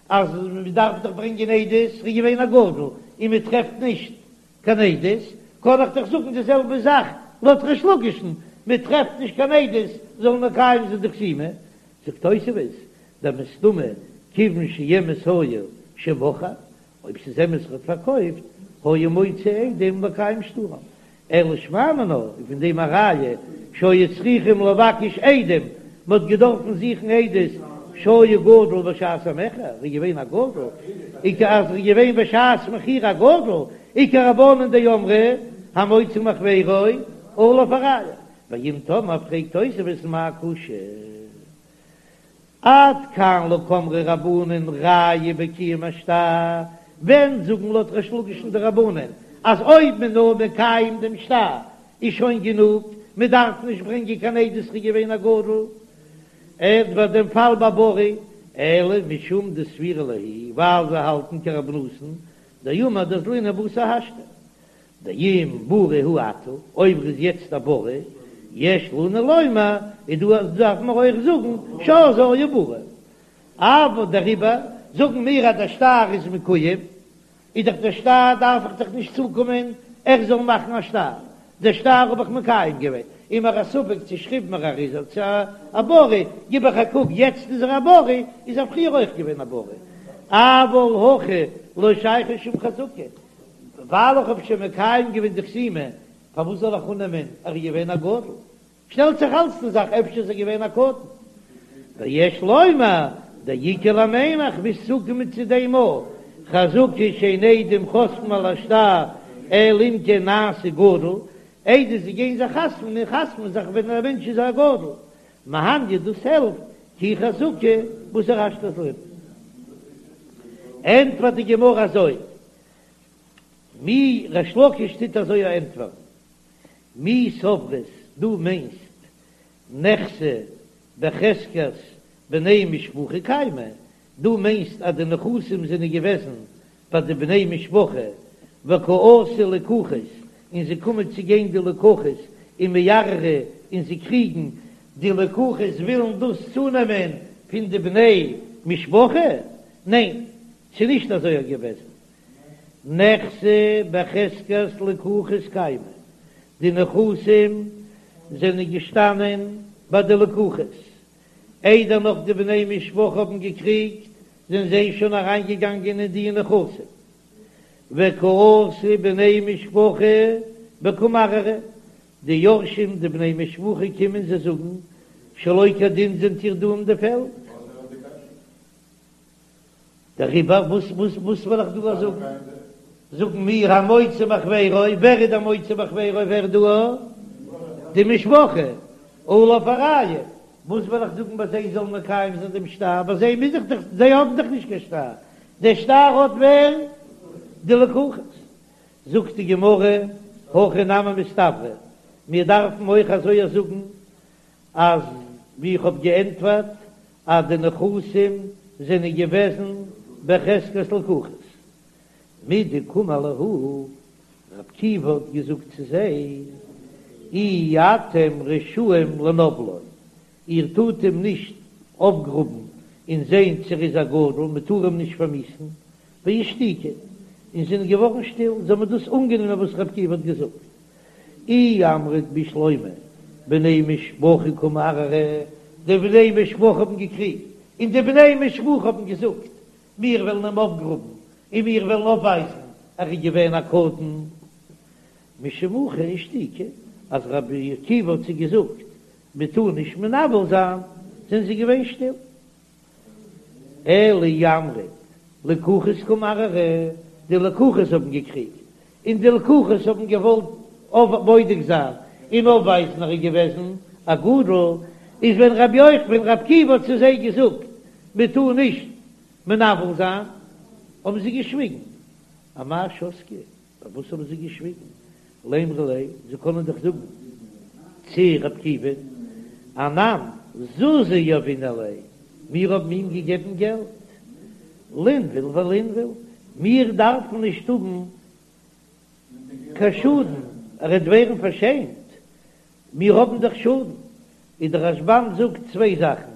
אז מען דארף דאך ברענגען עדות איז געווען א גדול און מען טרעפט נישט קיין עדות, קען איך דאך זאגן די זעלבע זאך לויט ריש לקיש'ן, מען טרעפט נישט קיין עדות זאל מען מקיים זיין די חתימה, זאגט תוספות דמסתמא כיוון שאמת היה שמכר, אויב ס'איז אמת ער האט פארקויפט, היה מוציא עדים לקיים שטרם, אלא שמע מינה, איז פון דעם א ראיה שהיו צריכים לבקש עדים, מ'האט געדארפן זוכן עדות שהיה גדול בשעת המכר, ער איז געווען א גדול, וכ אז ער איז געווען בשעת מכירה א גדול, וכרבנן דאמרי המוציא מחבירו עליו הראיה, ואם תאמר פרעגט תוספות מאי קושיא? עד כאן לא קאמרי רבנן ראיה בקיום השטר, ווען זאגן לויט ריש לקיש'ן די רבנן אז אויב מען נאר מקיים דעם שטר איז שוין גענוג, מען דארף נישט ברענגען קיין עדות ר'איז געווען א גדול, עכ ביי דעם פאל ביי ברי, אלא משום דסבירא להו ווייל זיי האלטן כרבי נתן דאמר דאזלינן בתר השתא. דאם בריא הוא עתה, אויב ער איז יעצט א בריא, יש לנו לומר, איז דא אז דארף מען אויך זאגן שאז היה בריא. אבער דעריבער זאגן מיר אז דער שטר איז מקוים, איז דאך דער שטר דארף איך דאך נישט צוקומען ער זאל מאכן א שטר, דער שטר האב איך מקיים געווען, איז מיר א ספק צו שכיב מרע איז ער צו א בריא, גיב איך א קוק יעצט איז ער א בריא, איז ער פריער אויך געווען א בריא. אבל הכא לא שייכא שום חזקה, ווייל איך האב שוין מקיים געווען די חתימה, פארוואס זאל איך אננעמען ער איז געווען א גדול? שטעלט זיך אלץ די זאך אפשר איז ער געווען א קטן. ויש לומר דאיכא למימר כ'מוז צוקומען צו דעם אויך, חזקה שאין עדים חותמים על השטר אלא אם כן נעשה גדול, עדות זיי גייען זיך חתמ'ן און חתמ'ן זיך ווען א מענטש איז א גדול, מהניא דאס העלפט כי חזקה בתר השתא אזלינן. ענטפערט די גמרא אזוי, מי ריש לקיש טוט אזוי א ענטפערן, מי סברת דו מיינסט נכסי בחזקת בני משפחה קיימי, דו מיינסט אז די נכסים זענען געוועזן ביי די בני משפחה וקא אתו לקוחות און זיי קומען צו גיין די לקוחות ומערערי און זיי קריגן, די לקוחות ווילן דאס צונעמען פון די בני משפחה, ניין ס'איז נישט אזוי געוועזן, נכסי בחזקת לקוחות קיימי, די נכסים זענען געשטאנען ביי די לקוחות, איידער נאך די בני משפחה האבן געקריגט זענען זיי שוין אריינגעגאנגען אין די נכסים, וקא אתו בני משפחה וקא מערערי, די יורשים די בני משפחה קומען זיי זאגן שלא כדין זענט איר דא אין די פעלד, דעריבער וואס וואס וואס וועל איך דא זאגן? זאגן מיר המוציא מחבירו, ווער איז דער מוציא מחבירו ווער דא? די משפחה, עליו הראיה, וואס וועל איך זאגן ביי זיי זאלן מקיים זיין דעם שטר, ביי זיי מוז איך דאך, זיי האבן דאך נישט קיין שטר, דער שטר האט ווער? די לקוחות. זאגט די גמרא, הכי נמי מסתברא, מיר דארפן אויך אזוי זאגן, אז ווי איך האב געענטפערט אז די נכסים זענען געוועזן בחזקת לקוחות, מדקאמר להו, ר' עקיבא האט געזאגט צו זיי, אי אתם רשאים לנוולו, איר טארט אים נישט אויפגראבן און זען צו ער איז א גדול, מען טאר אים נישט פארמיאוסן, ואישתיקו, און זענען געווארן שטיל, זיי האבן דאס אנגענומען וואס ר' עקיבא האט געזאגט. אי אמרת בשלמא בני משפחה קא מערערי, די בני משפחה האבן געקריגט, און די בני משפחה האבן געזאגט, מיר וועלן אים אויפגראבן, און מיר וועלן אויפווייזן ער איז געווען א קטן. משום הכי אישתיקו, אז רבי עקיבא האט זיי געזאגט, מען טאר נישט מנוול זיין, זענען זיי געווען שטיל. אלא אי אמרת לקוחות קא מערערי, די לקוחות האבן געקריגט, און די לקוחות האבן געוואלט בודק זיין און אויפווייזן ער איז געוועזן א גדול, איז ווען רבי יוחנן ווען רבי עקיבא האט צו זיי געזאגט מען טאר נישט מנוול זיין, האבן זיי געשוויגן. אמאי שתקי? פארוואס האבן זיי געשוויגן? לימרו ליה, זיי קענען דאך זאגן צו ר' עקיבא, אנן זוזי יהבינן ליה, מיר האבן אים געגעבן געלט, לינוול ולינוול, מיר דארפן נישט האבן קיין שאדן, ער וועט ווערן פארשעמט, מיר האבן דאך שאדן. איז דער רשב"ם זאגט צוויי זאכן,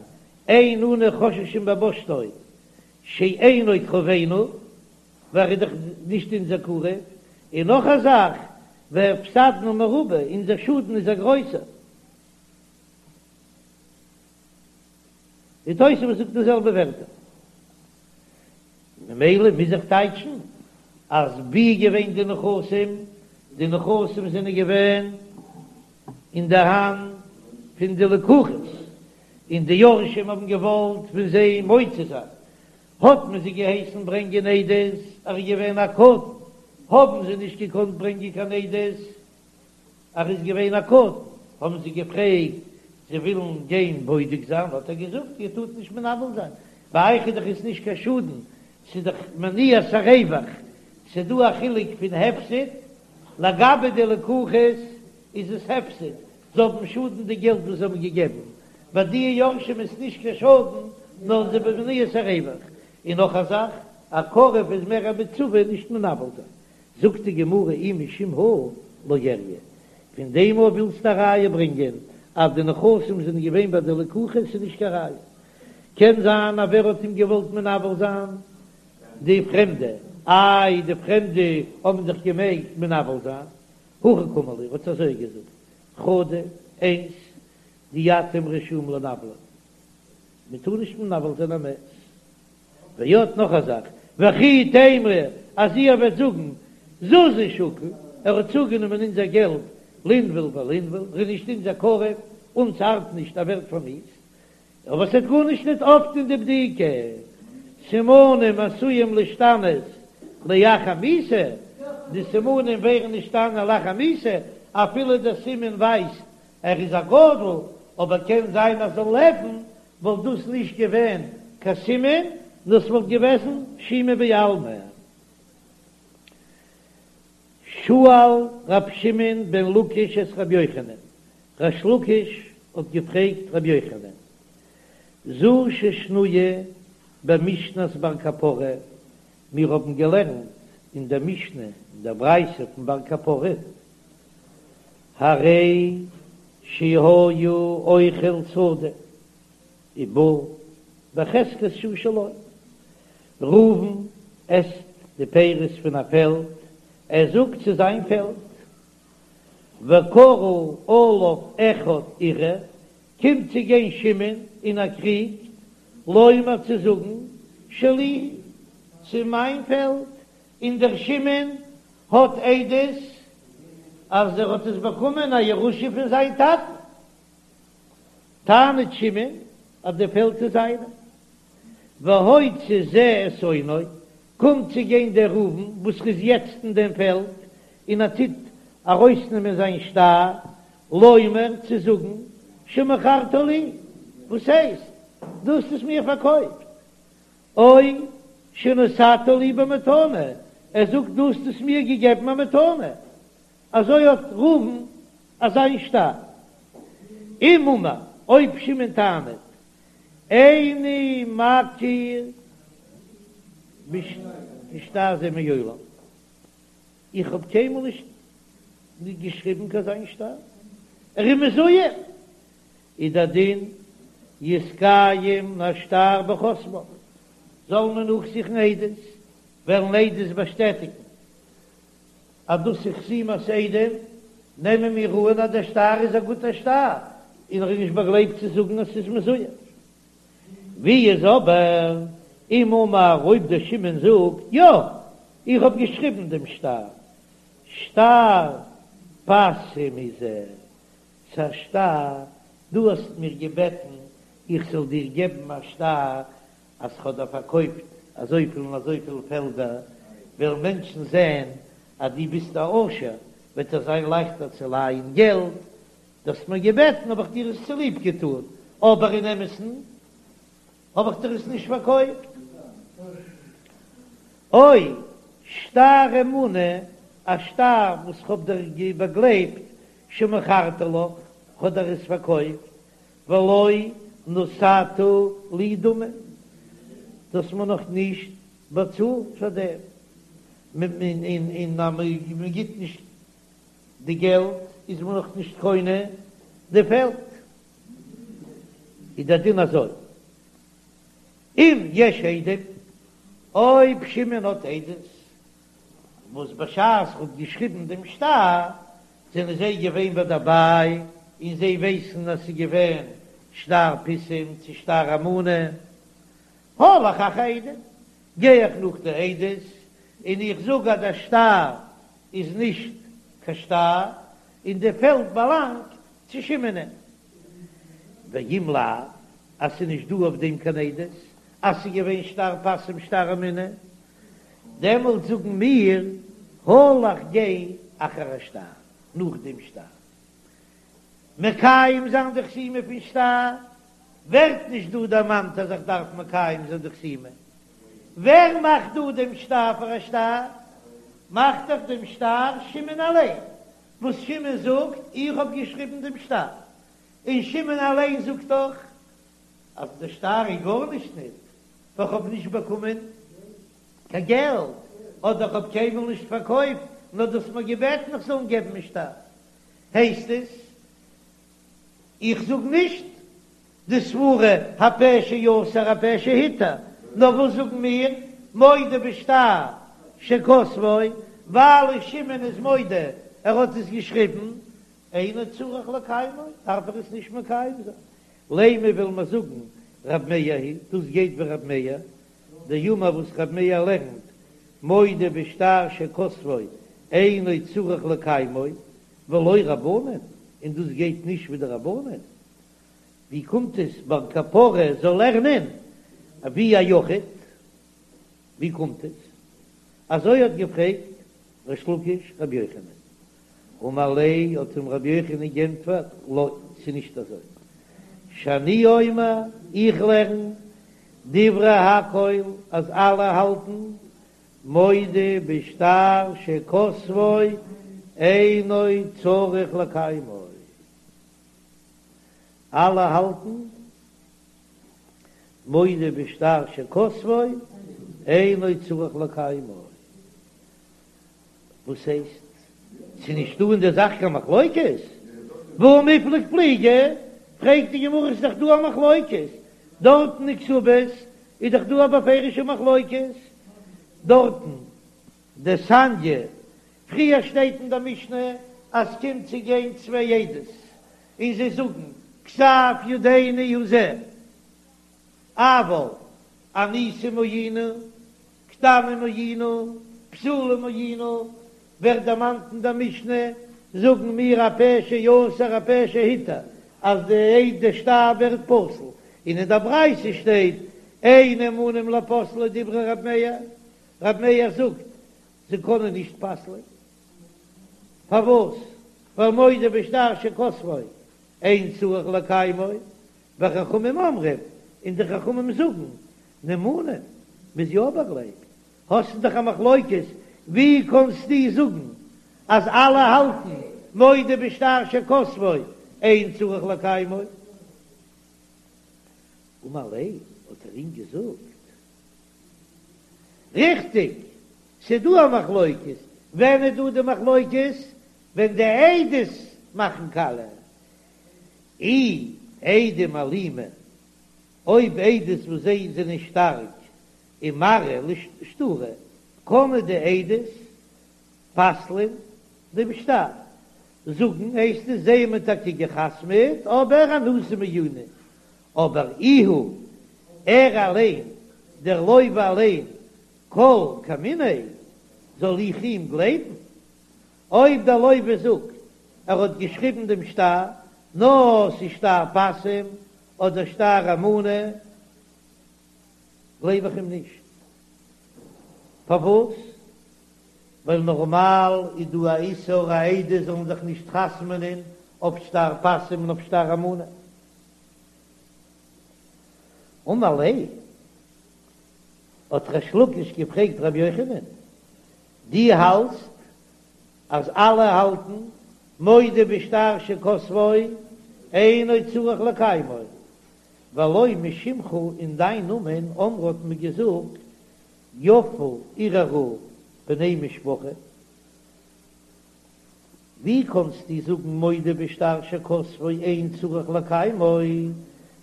אין אנו חוששים בבושתו שאינו קרובינו, ווייל ער איז דאך נישט אונזער קרוב, און נאך א זאך, והפסדנו מרובה, אונזער שאדן איז א גרויסער. די תוספות זאגט די זעלבע ווערטער. ממילא מוז איך טייטשן אז ווי איז געווען די נכסים? די נכסים זענען געווען אין די האנט פון די לקוחות, און די יורשים האבן געוואלט פון זיי מוציא זיין, האט מען זיי געהייסן ברענגען עדות, ער איז געווען א קטן, האבן זיי נישט געקאנט ברענגען קיין עדות, ער איז געווען א קטן, האבן זיי געפרעגט, זיי ווילן גיין בודק זיין, האט ער געזאגט, איר טארט נישט מנוול זיין, ביי אייך איז דאך עס נישט קיין שאדן, ס'איז דאך מניעת הרווח, ס'איז דא א חילוק פון הפסד, לגבי די לקוחות איז עס הפסד, זיי האבן שאדן די געלט וואס זיי האבן געגעבן, ביי די יורשים איז נישט קיין שאדן, נאר ס'איז במניעת הרווח, און נאך א זאך, א קרוב איז מער א מצווה נישט מנוול זיין, זאגט די גמרא אי משום הא לא איריא, פון דעם אויב ווילסטו א ראיה ברענגען אז די נכסים זענען געווען ביי די לקוחות איז נישט קיין ראיה, קען זיין אז ווער האט אים געוואלט מנוול זיין? די פרעמדע, איי די פרעמדע האבן דאך געמעגט מנוול זיין, הכי קאמר להו, האט אזוי געזאגט, חדא, איינס, דאי אתם רשאים לנוולו, מען טאר נישט מנוול זיין א מת. ועוד נאך א זאך, וכי תימרו אז איר וועט זאגן זוזי שקיל, ער האט צוגענומען אונזער געלט לינוול ולינוול, ער איז נישט אונזער קרוב, אונז ארט נישט ער ווערט פארמיאוסט, אבער ס'וועט גארנישט ניט אויפטון די בדיקה, סימנים עשויים להשתנות לאחר מיתה, די סימנים ווערן נשתנה לאחר מיתה, אפילו דער סימן ווייזט ער איז א גדול, אבער קען זיין אז זאל לעבן וואלט דאס נישט געווען קיין סימן, נאר ס'וואלט געוועזן שומא בעלמא. שאל ר' שמעון בן לקיש את ר' יוחנן, ריש לקיש האט געפרעגט ר' יוחנן, זו ששנויה במשנת בר קפרא, מיר האבן געלערנט אין דער משנה אין דער ברייתא פון בר קפרא, הרי שהיה אוכל שדה ובא בחזקת שהוא שלו, ראובן עסט די פירות פון א פעלד, ער זאגט ס'איז זיין פעלד, וקרא עליו אחד ערער, קומט צו גיין שמעון און ער קריגט, לומר צו זאגן שלי, ס'איז מיין פעלד, און דער שמעון האט עדות אז ער האט עס באקומען א ירושה פון זיין טאטן, טענה'ט שמעון אז די פעלד איז זיינע, והוציא זה את אונו, קומט צו גיין דער ראובן וואס איז יעצט אין דעם פעלד און ער טוט ארויסנעמען זיין שטר, לומר צו זאגן שמכרתו לי, וואס הייסט דו האסט עס מיר פארקויפט? או שנתת לי במתנה, ער זאגט דו האסט עס מיר געגעבן א מתנה, אזוי האט ראובן אזא שטר. אם אמר, אויב שמעון טענה'ט, איני מכיר בשטר זה מעולם, איך האב קיינמאל נישט געשריבן קיין אזא שטר, ער איז מזויף, איז דער דין יתקיים השטר בחותמיו, זאל מען נאכזוכן עדות, וועלן עדות באשטעטיגן אז דאס איז חתימת עדים, נעמען מיר אן אז דער שטר איז א גוטער שטר, און ער איז נישט באגלייבט צו זאגן אז ס'איז מזויף. ווי איז אבער אם אמר אויב דער שמעון זאגט יא, איך האב געשריבן דעם שטר, שטר פסים הוא זה, ס'א שטר, דו האסט מיר געבעטן איך זאל דיר געבן א שטר אז כ'האב דיר פארקויפט אזויפיל און אזויפיל פעלדער, וועלן מענטשן זען אז דו ביסט א עושר, וועט עס זיין לייכטער צו לייען געלט, דו האסט מיר געבעטן האב איך דיר עס צוליב געטאן, אבער אין אמת'ן האב איך דיר עס נישט פארקויפט. או שטר אמונה, א שטר וואס כ'האב דיר באגלייבט, שמכרתי לך, כ'האב דיר עס פארקויפט, ולא נתת לי דמים, דו האסט מיר נאך נישט באצאלט פאר דעם, און אז מען גיט נישט די געלט איז מען נאך נישט קונה די פעלד, איז דער דין אזוי, אם יש עדים, אויב שמעון האט עדות, וואס בשעת ער האט געשריבן דעם שטר זענען זיי געווען ביי דערביי און זיי ווייסן אז ס'איז געווען שטר פסים צו שטר אמנה, הלך אחר העדים, גיי איך נאך די עדות און איך זאג אז דער שטר איז נישט קיין שטר און די פעלד באלאנגט צו שמעונ'ען. ואם לאו, אז ס'איז נישט דא אויף דעם קיין עדות אז ס'איז געווען שטר פסים שטר אמנה, דעמאלט זאגן מיר, הלך גיי אחר השטר, נאך דעם שטר. מקיים זיין די חתימה פון שטר, ווערט נישט דא דערמאנט אז איך דארף מקיים זיין די חתימה. ווער מאכט דא דעם שטר פאר א שטר? מאכט דאך דעם שטר שמעון אליין, וואס שמעון זאגט, איך האב געשריבן דעם שטר. און שמעון אליין זאגט דאך אז דער שטר איז גארנישט ניט, ווייל כ'האב נישט באקומען קיין געלט, אדער כ'האב קיינמאל נישט פארקויפט, נאר דו האסט מיר געבעטן איך זאל געבן א שטר. הייסט עס, איך זאג נישט די סברה הפה שאסר הפה שהתיר, נאר וואס זאגן מיר, מודה בשטר שכתבו, ווייל שמעון איז מודה ער האט עס געשריבן, אינו צריך לקיימו, דארף ער עס נישט מקיים זיין. לימא וויל מען זאגן רב מאיר היא, דאס גייט ווי רב מאיר, דאמר וואס רב מאיר לערנט, מודה בשטר שכתבו אינו צריך לקיימו, ולא רבנן, און דאס גייט נישט ווי די רבנן. ווי קומט עס בר קפרא זאל לערנען ווי א יחיד? ווי קומט עס? אזוי האט געפרעגט ריש לקיש רבי יוחנן. אמר ליה האט אים רבי יוחנן גענטפערט, לא, ס'איז נישט אזוי, שאני אומר, איך לערן, דברי הכל אז אלע האלטן, מודה בשטר שכתבו אינו צריך לקיימו, אלע האלטן, מודה בשטר שכתבו אינו צריך לקיימו. וואס הייסט? ס'איז נישט דא אין די זאך קיין מחלוקת? והא מיפלג פליגי? פרעגט די גמרא ס'איז דאך דא א מחלוקת דארטן אין כתובות איז דאך דא א בפירוש'ע מחלוקת דארטן דתניא, פריער שטייט אין די משנה אז ס'קומט צו גיין צוויי עדות און זיי זאגן כתב ידינו הוא זה אבל אנוסים היינו קטנים היינו, בתולים היינו, ווערט דערמאנט אין דער משנה, זאגן מיר הפה שאסר הפה שהתיר, אז די די שטר ווערט פסול, און אין דער ברייתא שטייט אין נאמנים לפוסלו דברי רב מאיר, רב מאיר זאגט זיי קענען נישט פסל'ען, פארוואס? ווייל מודה בשטר שכתבו אין צריך לקיימו, וחכמים אומרים, און די חכמים זאגן, נאמנים, מ'איז יא באגלייבט, האסטו דאך א מחלוקת, ווי קאנסטו זאגן אז אלע האלטן מודה בשטר שכתבו אין צריך לקיימו? אמר ליה, האט ער אים געזאגט, ריכטיג, ס'דא א מחלוקת, ווען איז דא די מחלוקת? ווען די עדות מאכן קאליע, אי עדים אלימי, אויב עדות וואס זיי זענען שטארק ומרעי לשטרא, קענען די עדות פסל'ען דעם שטר, זאגן הייסט עס זיי האבן טאקע גע'חתמ'עט אבער אנוסים היינו, אבער איהו ער אליין, דער לוה אליין, כל כמיניה, זאל איך אים גלייבן? אויב דער לוה זאגט ער האט געשריבן דעם שטר, נאר ס'איז שטר פסים אדער שטר אמנה, גלייב איך אים נישט. פארוואס? ווייל נארמאל איז דא א איסור אז עדות זאלן זיך נישט חתמ'נען אויף שטר פסים און אויף שטר אמנה. אמר ליה. האט ריש לקיש געפרעגט רבי יוחנן, דו האלטסט אז אלע האלטן מודה בשטר שכתבו אינו צריך לקיימו, והלא משמך אין דיין נאמען אמרו האט מען געזאגט יפה ערערו בני משפחה, ווי קאנסטו זאגן מודה בשטר שכתבו אין צריך לקיימו,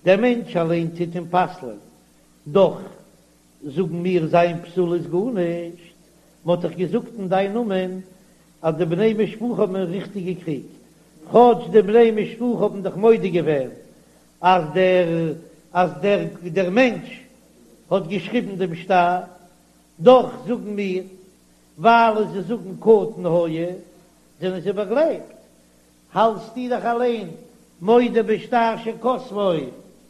דער מענטש אליין טוט אים פסל'ען, דאך זאגן מיר זיין פסול איז גארנישט, מען האט דאך געזאגט אין דיין נאמען אז די בני משפחה האבן ריכטיג געקריגט, כאטש די בני משפחה האבן דאך מודה געווען אז דער אז דער דער מענטש האט געשריבן דעם שטר, דאך זאגן מיר ווייל זיי זאגן קטן היה זענען זיי באגלייבט, האלטסטו דאך אליין מודה בשטר שכתבו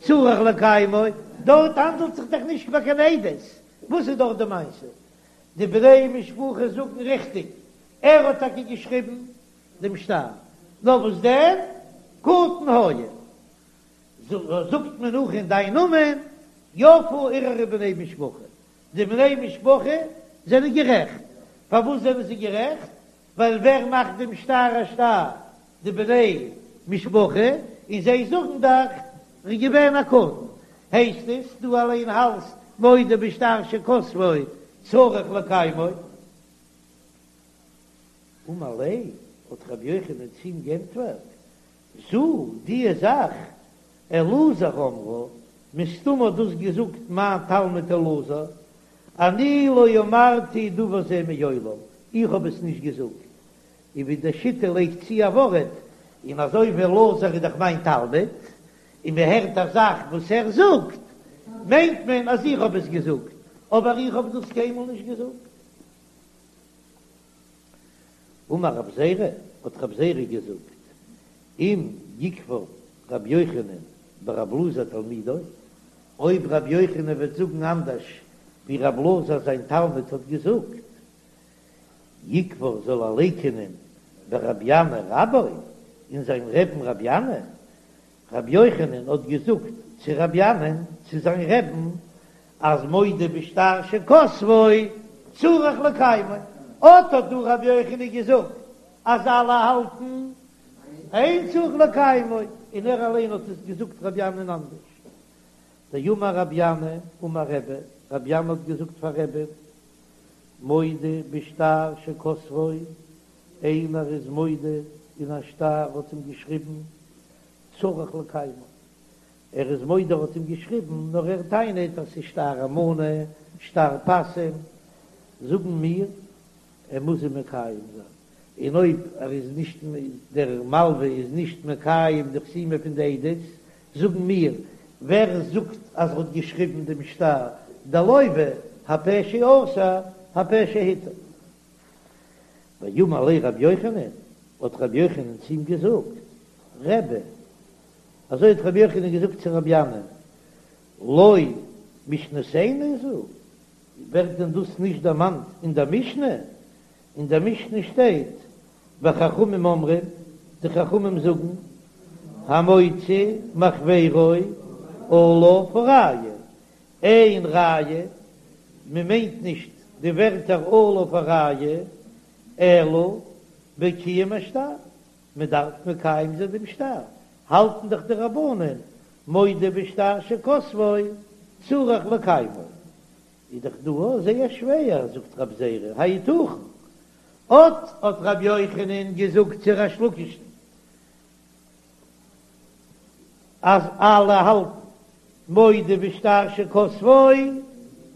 צריך לקיימו, דארט האנדלט זיך דאך נישט ביי קיין עדות, וואס איז דארט די מעשה? די בני משפחה זאגן ריכטיג, ער האט טאקע געשריבן דעם שטר, נאר וואס דען, קטן היה, זאגט מען נאך אין דיין נאמען, יפה ערערו בני משפחה, די בני משפחה זענען גערעכט, פארוואס זענען זיי גערעכט? ווייל ווער מאכט דעם שטר א שטר? די בני משפחה, און זיי זאגן דאך ר'איז געווען א קטן, הייסט עס דו אליין האלטסט מודה בשטר שכתבו צריך לקיימו. אמר ליה, האט רבי יוחנן צו אים גענטפערט, זו דיע זאך אלעזר אמרה, מסתמא האט דאס געזאגט מיין תלמיד אלעזר, אני לא אמרתי דבר זה מעולם, איך האב עס נישט געזאגט, און ווי די שיטה לייגט צו א ווארט, און אזוי ווי אלעזר איז דאך מיין תלמיד, און מען הערט א זאך וואס ער זאגט, מיינט מען אז איך האב עס געזאגט, אבער איך האב דאס קיינמאל נישט געזאגט. אמר רב זירא, האט רב זירא געזאגט, אם יכפר רבי יוחנן ברב אלעזר תלמידו, אויב רבי יוחנן וועט זאגן אנדערש ווי רב אלעזר זיין תלמיד האט געזאגט, יכפר זאל ער לייקענען ברבי ינאי רבו, אין זיין רעבן רבי ינאי, רבי יוחנן האט געזאגט צו רבי ינאי'ן, צו זיין רעבן, אז מודה בשטר שכתבו צריך לקיימו, אט האט דא רבי יוחנן געזאגט אז אלע האלטן אין צריך לקיימו, און ער אליין האט עס געזאגט רבי ינאי'ן אנדערש. דאמר רבי ינאי אמר רבי, רבי ינאי האט געזאגט פאר רבי'ן, מודה בשטר שכתבו, איינער איז מודה אין א שטר האט אים געשריבן צריך לקיימו, ער איז מודה ער האט אים געשריבן, נאר ער טענה'ט אז ס'איז שטר אמנה, שטר פסים, זאגן מיר ער מוז אים מקיים זיין, און אויב ער איז נישט דער מלווה איז נישט מקיים די חתימה פון די עדות, זאגן מיר ווער זאגט אז ער האט געשריבן דעם שטר, דער לוה, הפה שאסר הפה שהתיר. ואמר ליה רבי יוחנן, האט רבי יוחנן צו אים געזאגט, רבי, אזוי האט רבי יוחנן געזאגט צו רבי ינאי'ן, לא משנתנו זו, ווערט דען דאס נישט דערמאנט אין דער משנה? אין דער משנה שטייט, וחכמים אומרים, די חכמים זאגן, המוציא מחבירו עליו הראיה, אין ראיה, מען מיינט נישט די ווערטער עליו הראיה, אלא בקיום השטר, מען דארף מקיים זיין דעם שטר, האלטן דאך די רבנן מודה בשטר שכתבו צריך לקיימו, איז דאך דא זייער שווער, זאגט רב זירא, היתכן? אט האט רבי יוחנן געזאגט צו ריש לקיש'ן אז אלע האלטן מודה בשטר שכתבו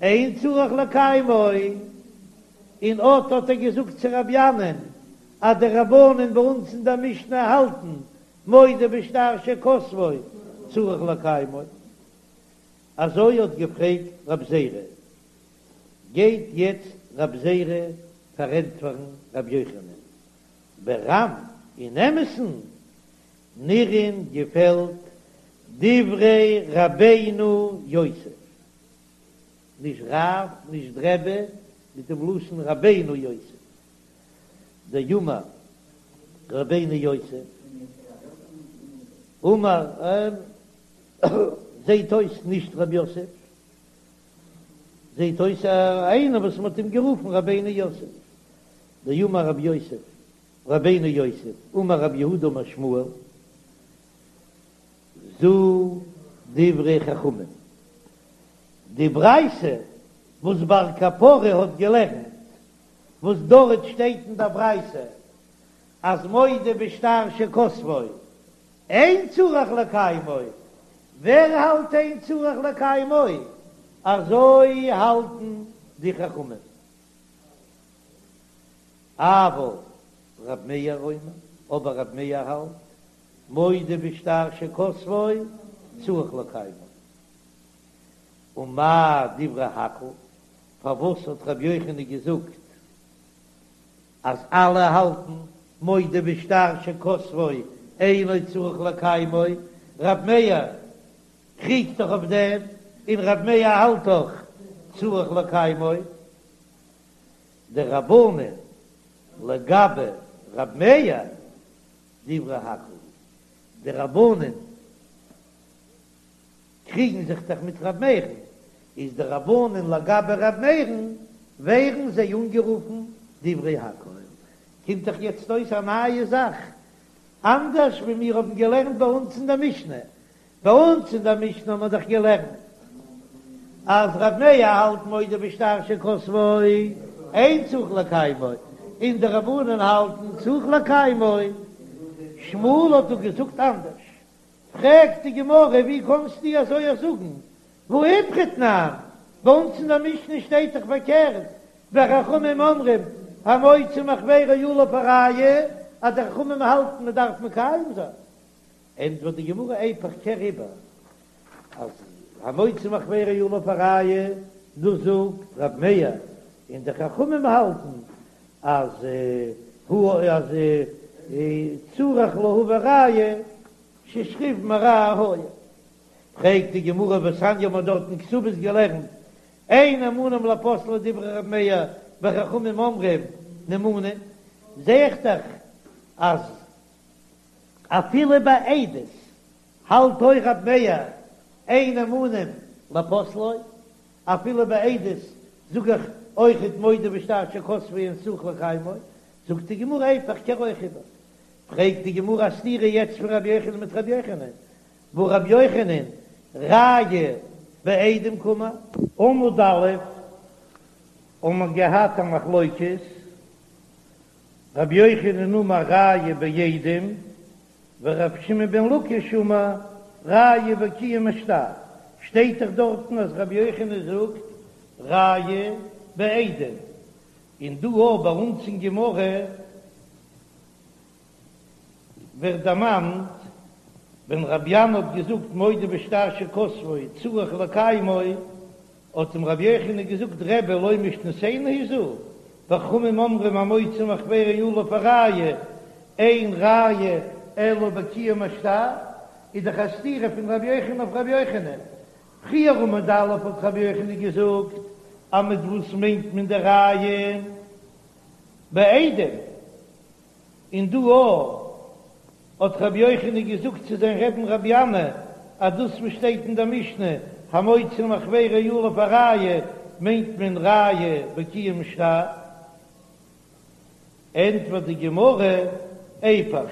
אין צריך לקיימו, און אט האט ער געזאגט צו רבי ינאי'ן אז די רבנן ביי אונז אין דער משנה האלטן מודה בשטר שכתבו צריך לקיימו, אזוי האט געפרעגט רב זירא, גייט יעצט רב זירא פארענטפערן רבי יוחנן ברם אין אמת'ן נראין געפעלט דברי רבינו יוסף, נישט רב נישט רבי, מיט דעם לשון רבינו יוסף, דאמר רבינו יוסף אמר זעהט אויס נישט רב יוסף, זעט אויס איינער וואס מ'האט אים גערופן רבינו יוסף, דאמר רב יוסף, רבינו יוסף, אמר רב יהודה אמר שמואל, זו דברי חכמים. די ברייתא וואס בר קפרא האט געלערנט, וואס דארט שטייט אין דער ברייתא אז מודה בשטר שכתבו אין צריך לקיימו, ווער האלט אין צריך לקיימו? אזוי האלטן די חכמים. אבל רב מאיר אומר, אבער רב מאיר האלט, מודה בשטר שכתבו צריך לקיימו. ומאי דברי הכל, פארוואס האט רבי יוחנן געזאגט אז אלע האלטן מודה בשטר שכתבו אינו צריך לקיימו, רב מאיר קריגט דאך אויף דעם, און רב מאיר האלט דאך צריך לקיימו, דרבנן לגבי רב מאיר דברי הכל, די רבנן קריגן זיך דאך מיט ר' מאיר'ן, איז די רבנן לגבי ר' מאיר'ן ווערן זיי אנגערופן דברי הכל. קומט דאך יעצט אויס א נייע זאך, אנדערש ווי מיר האבן געלערנט ביי אונז אין דער משנה. ביי אונז אין דער משנה האט מען דאך געלערנט אז ר' מאיר האלט מודה בשטר שכתבו אין צריך לקיימו, און די רבנן האלטן צריך לקיימו. שמואל האט דא געזאגט אנדערש. פרעגט די גמרא ווי קאנסטו אזוי זאגן, והא איפכא תנן, ביי אונז אין דער משנה שטייט דאך פארקערט, וחכמים אומרים המוציא מחבירו עליו הראיה, אז די חכמים האלטן מען דארף מקיים זיין. ענטפערט די גמרא איפוך קער איבער אז המוציא מחבירו עליו הראיה, דאס זאגט רב מאיר, און די חכמים האלטן אז אז צריך להביא ראיה ששכיב מרע היה. פרעגט די גמרא והתניא מ'האט דארט אין כתובות געלערנט אין נאמנים לפוסלו דברי ר' מאיר וחכמים אומרים נאמנים, זע איך דאך אז אפילו ביי עדות האלט אויך ר' מאיר אין נאמנים לפוסלו, אפילו ביי עדות זאג איך אויכעט מודה בשטר שכתבו אין צריך לקיימו, זאגט די גמרא איפוך קער אויך איבער. פרעגט די גמרא א סתירה יעצט פון רבי יוחנן מיט רבי יוחנן, והא רבי יוחנן ראיה בעדים קאמר. עמוד א' האבן מיר געהאט א מחלוקת, רבי יוחנן אמר ראיה בעדים, ורבי שמעון בן לקיש אמר ראיה בקיום השטר, שטייט דאך דארטן אז רבי יוחנן זאגט ראיה בעדים, און דא אויך ביי אונז אין גמרא ווערט דערמאנט ווען רבי ינאי האט געזאגט מודה בשטר שכתבו צריך לקיימו, האט אים רבי יוחנן געזאגט רבי לא משנתנו היא זו, וחכמים אומרים המוציא מחבירו עליו הראיה, אין ראיה אלא בקיום השטר, איז דאך א סתירה פון רבי יוחנן אויף רבי יוחנן. פריער עמוד א' האט רבי יוחנן געזאגט אז מיט וואס מיינט מען די ראיה בעדים, און דא אויך האט רבי יוחנן געזאגט צו זיין רעבן רבי ינאי אז דאס וואס שטייט אין דער משנה המוציא מחבירו עליו הראיה מיינט מען ראיה בקיום שטר, ענטפערט די גמרא, איפוך,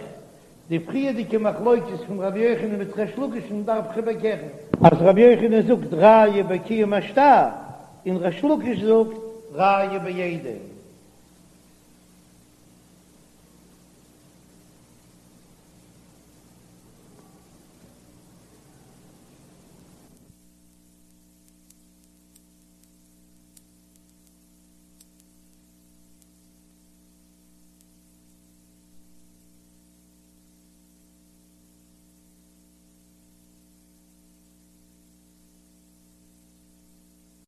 די פריערדיגע מחלוקת פון רבי יוחנן מיט ריש לקיש'ן דארף איך איבערקערן, אז רבי יוחנן זאגט ראיה בקיום השטר און ריש לקיש זאגט ראיה בעדים.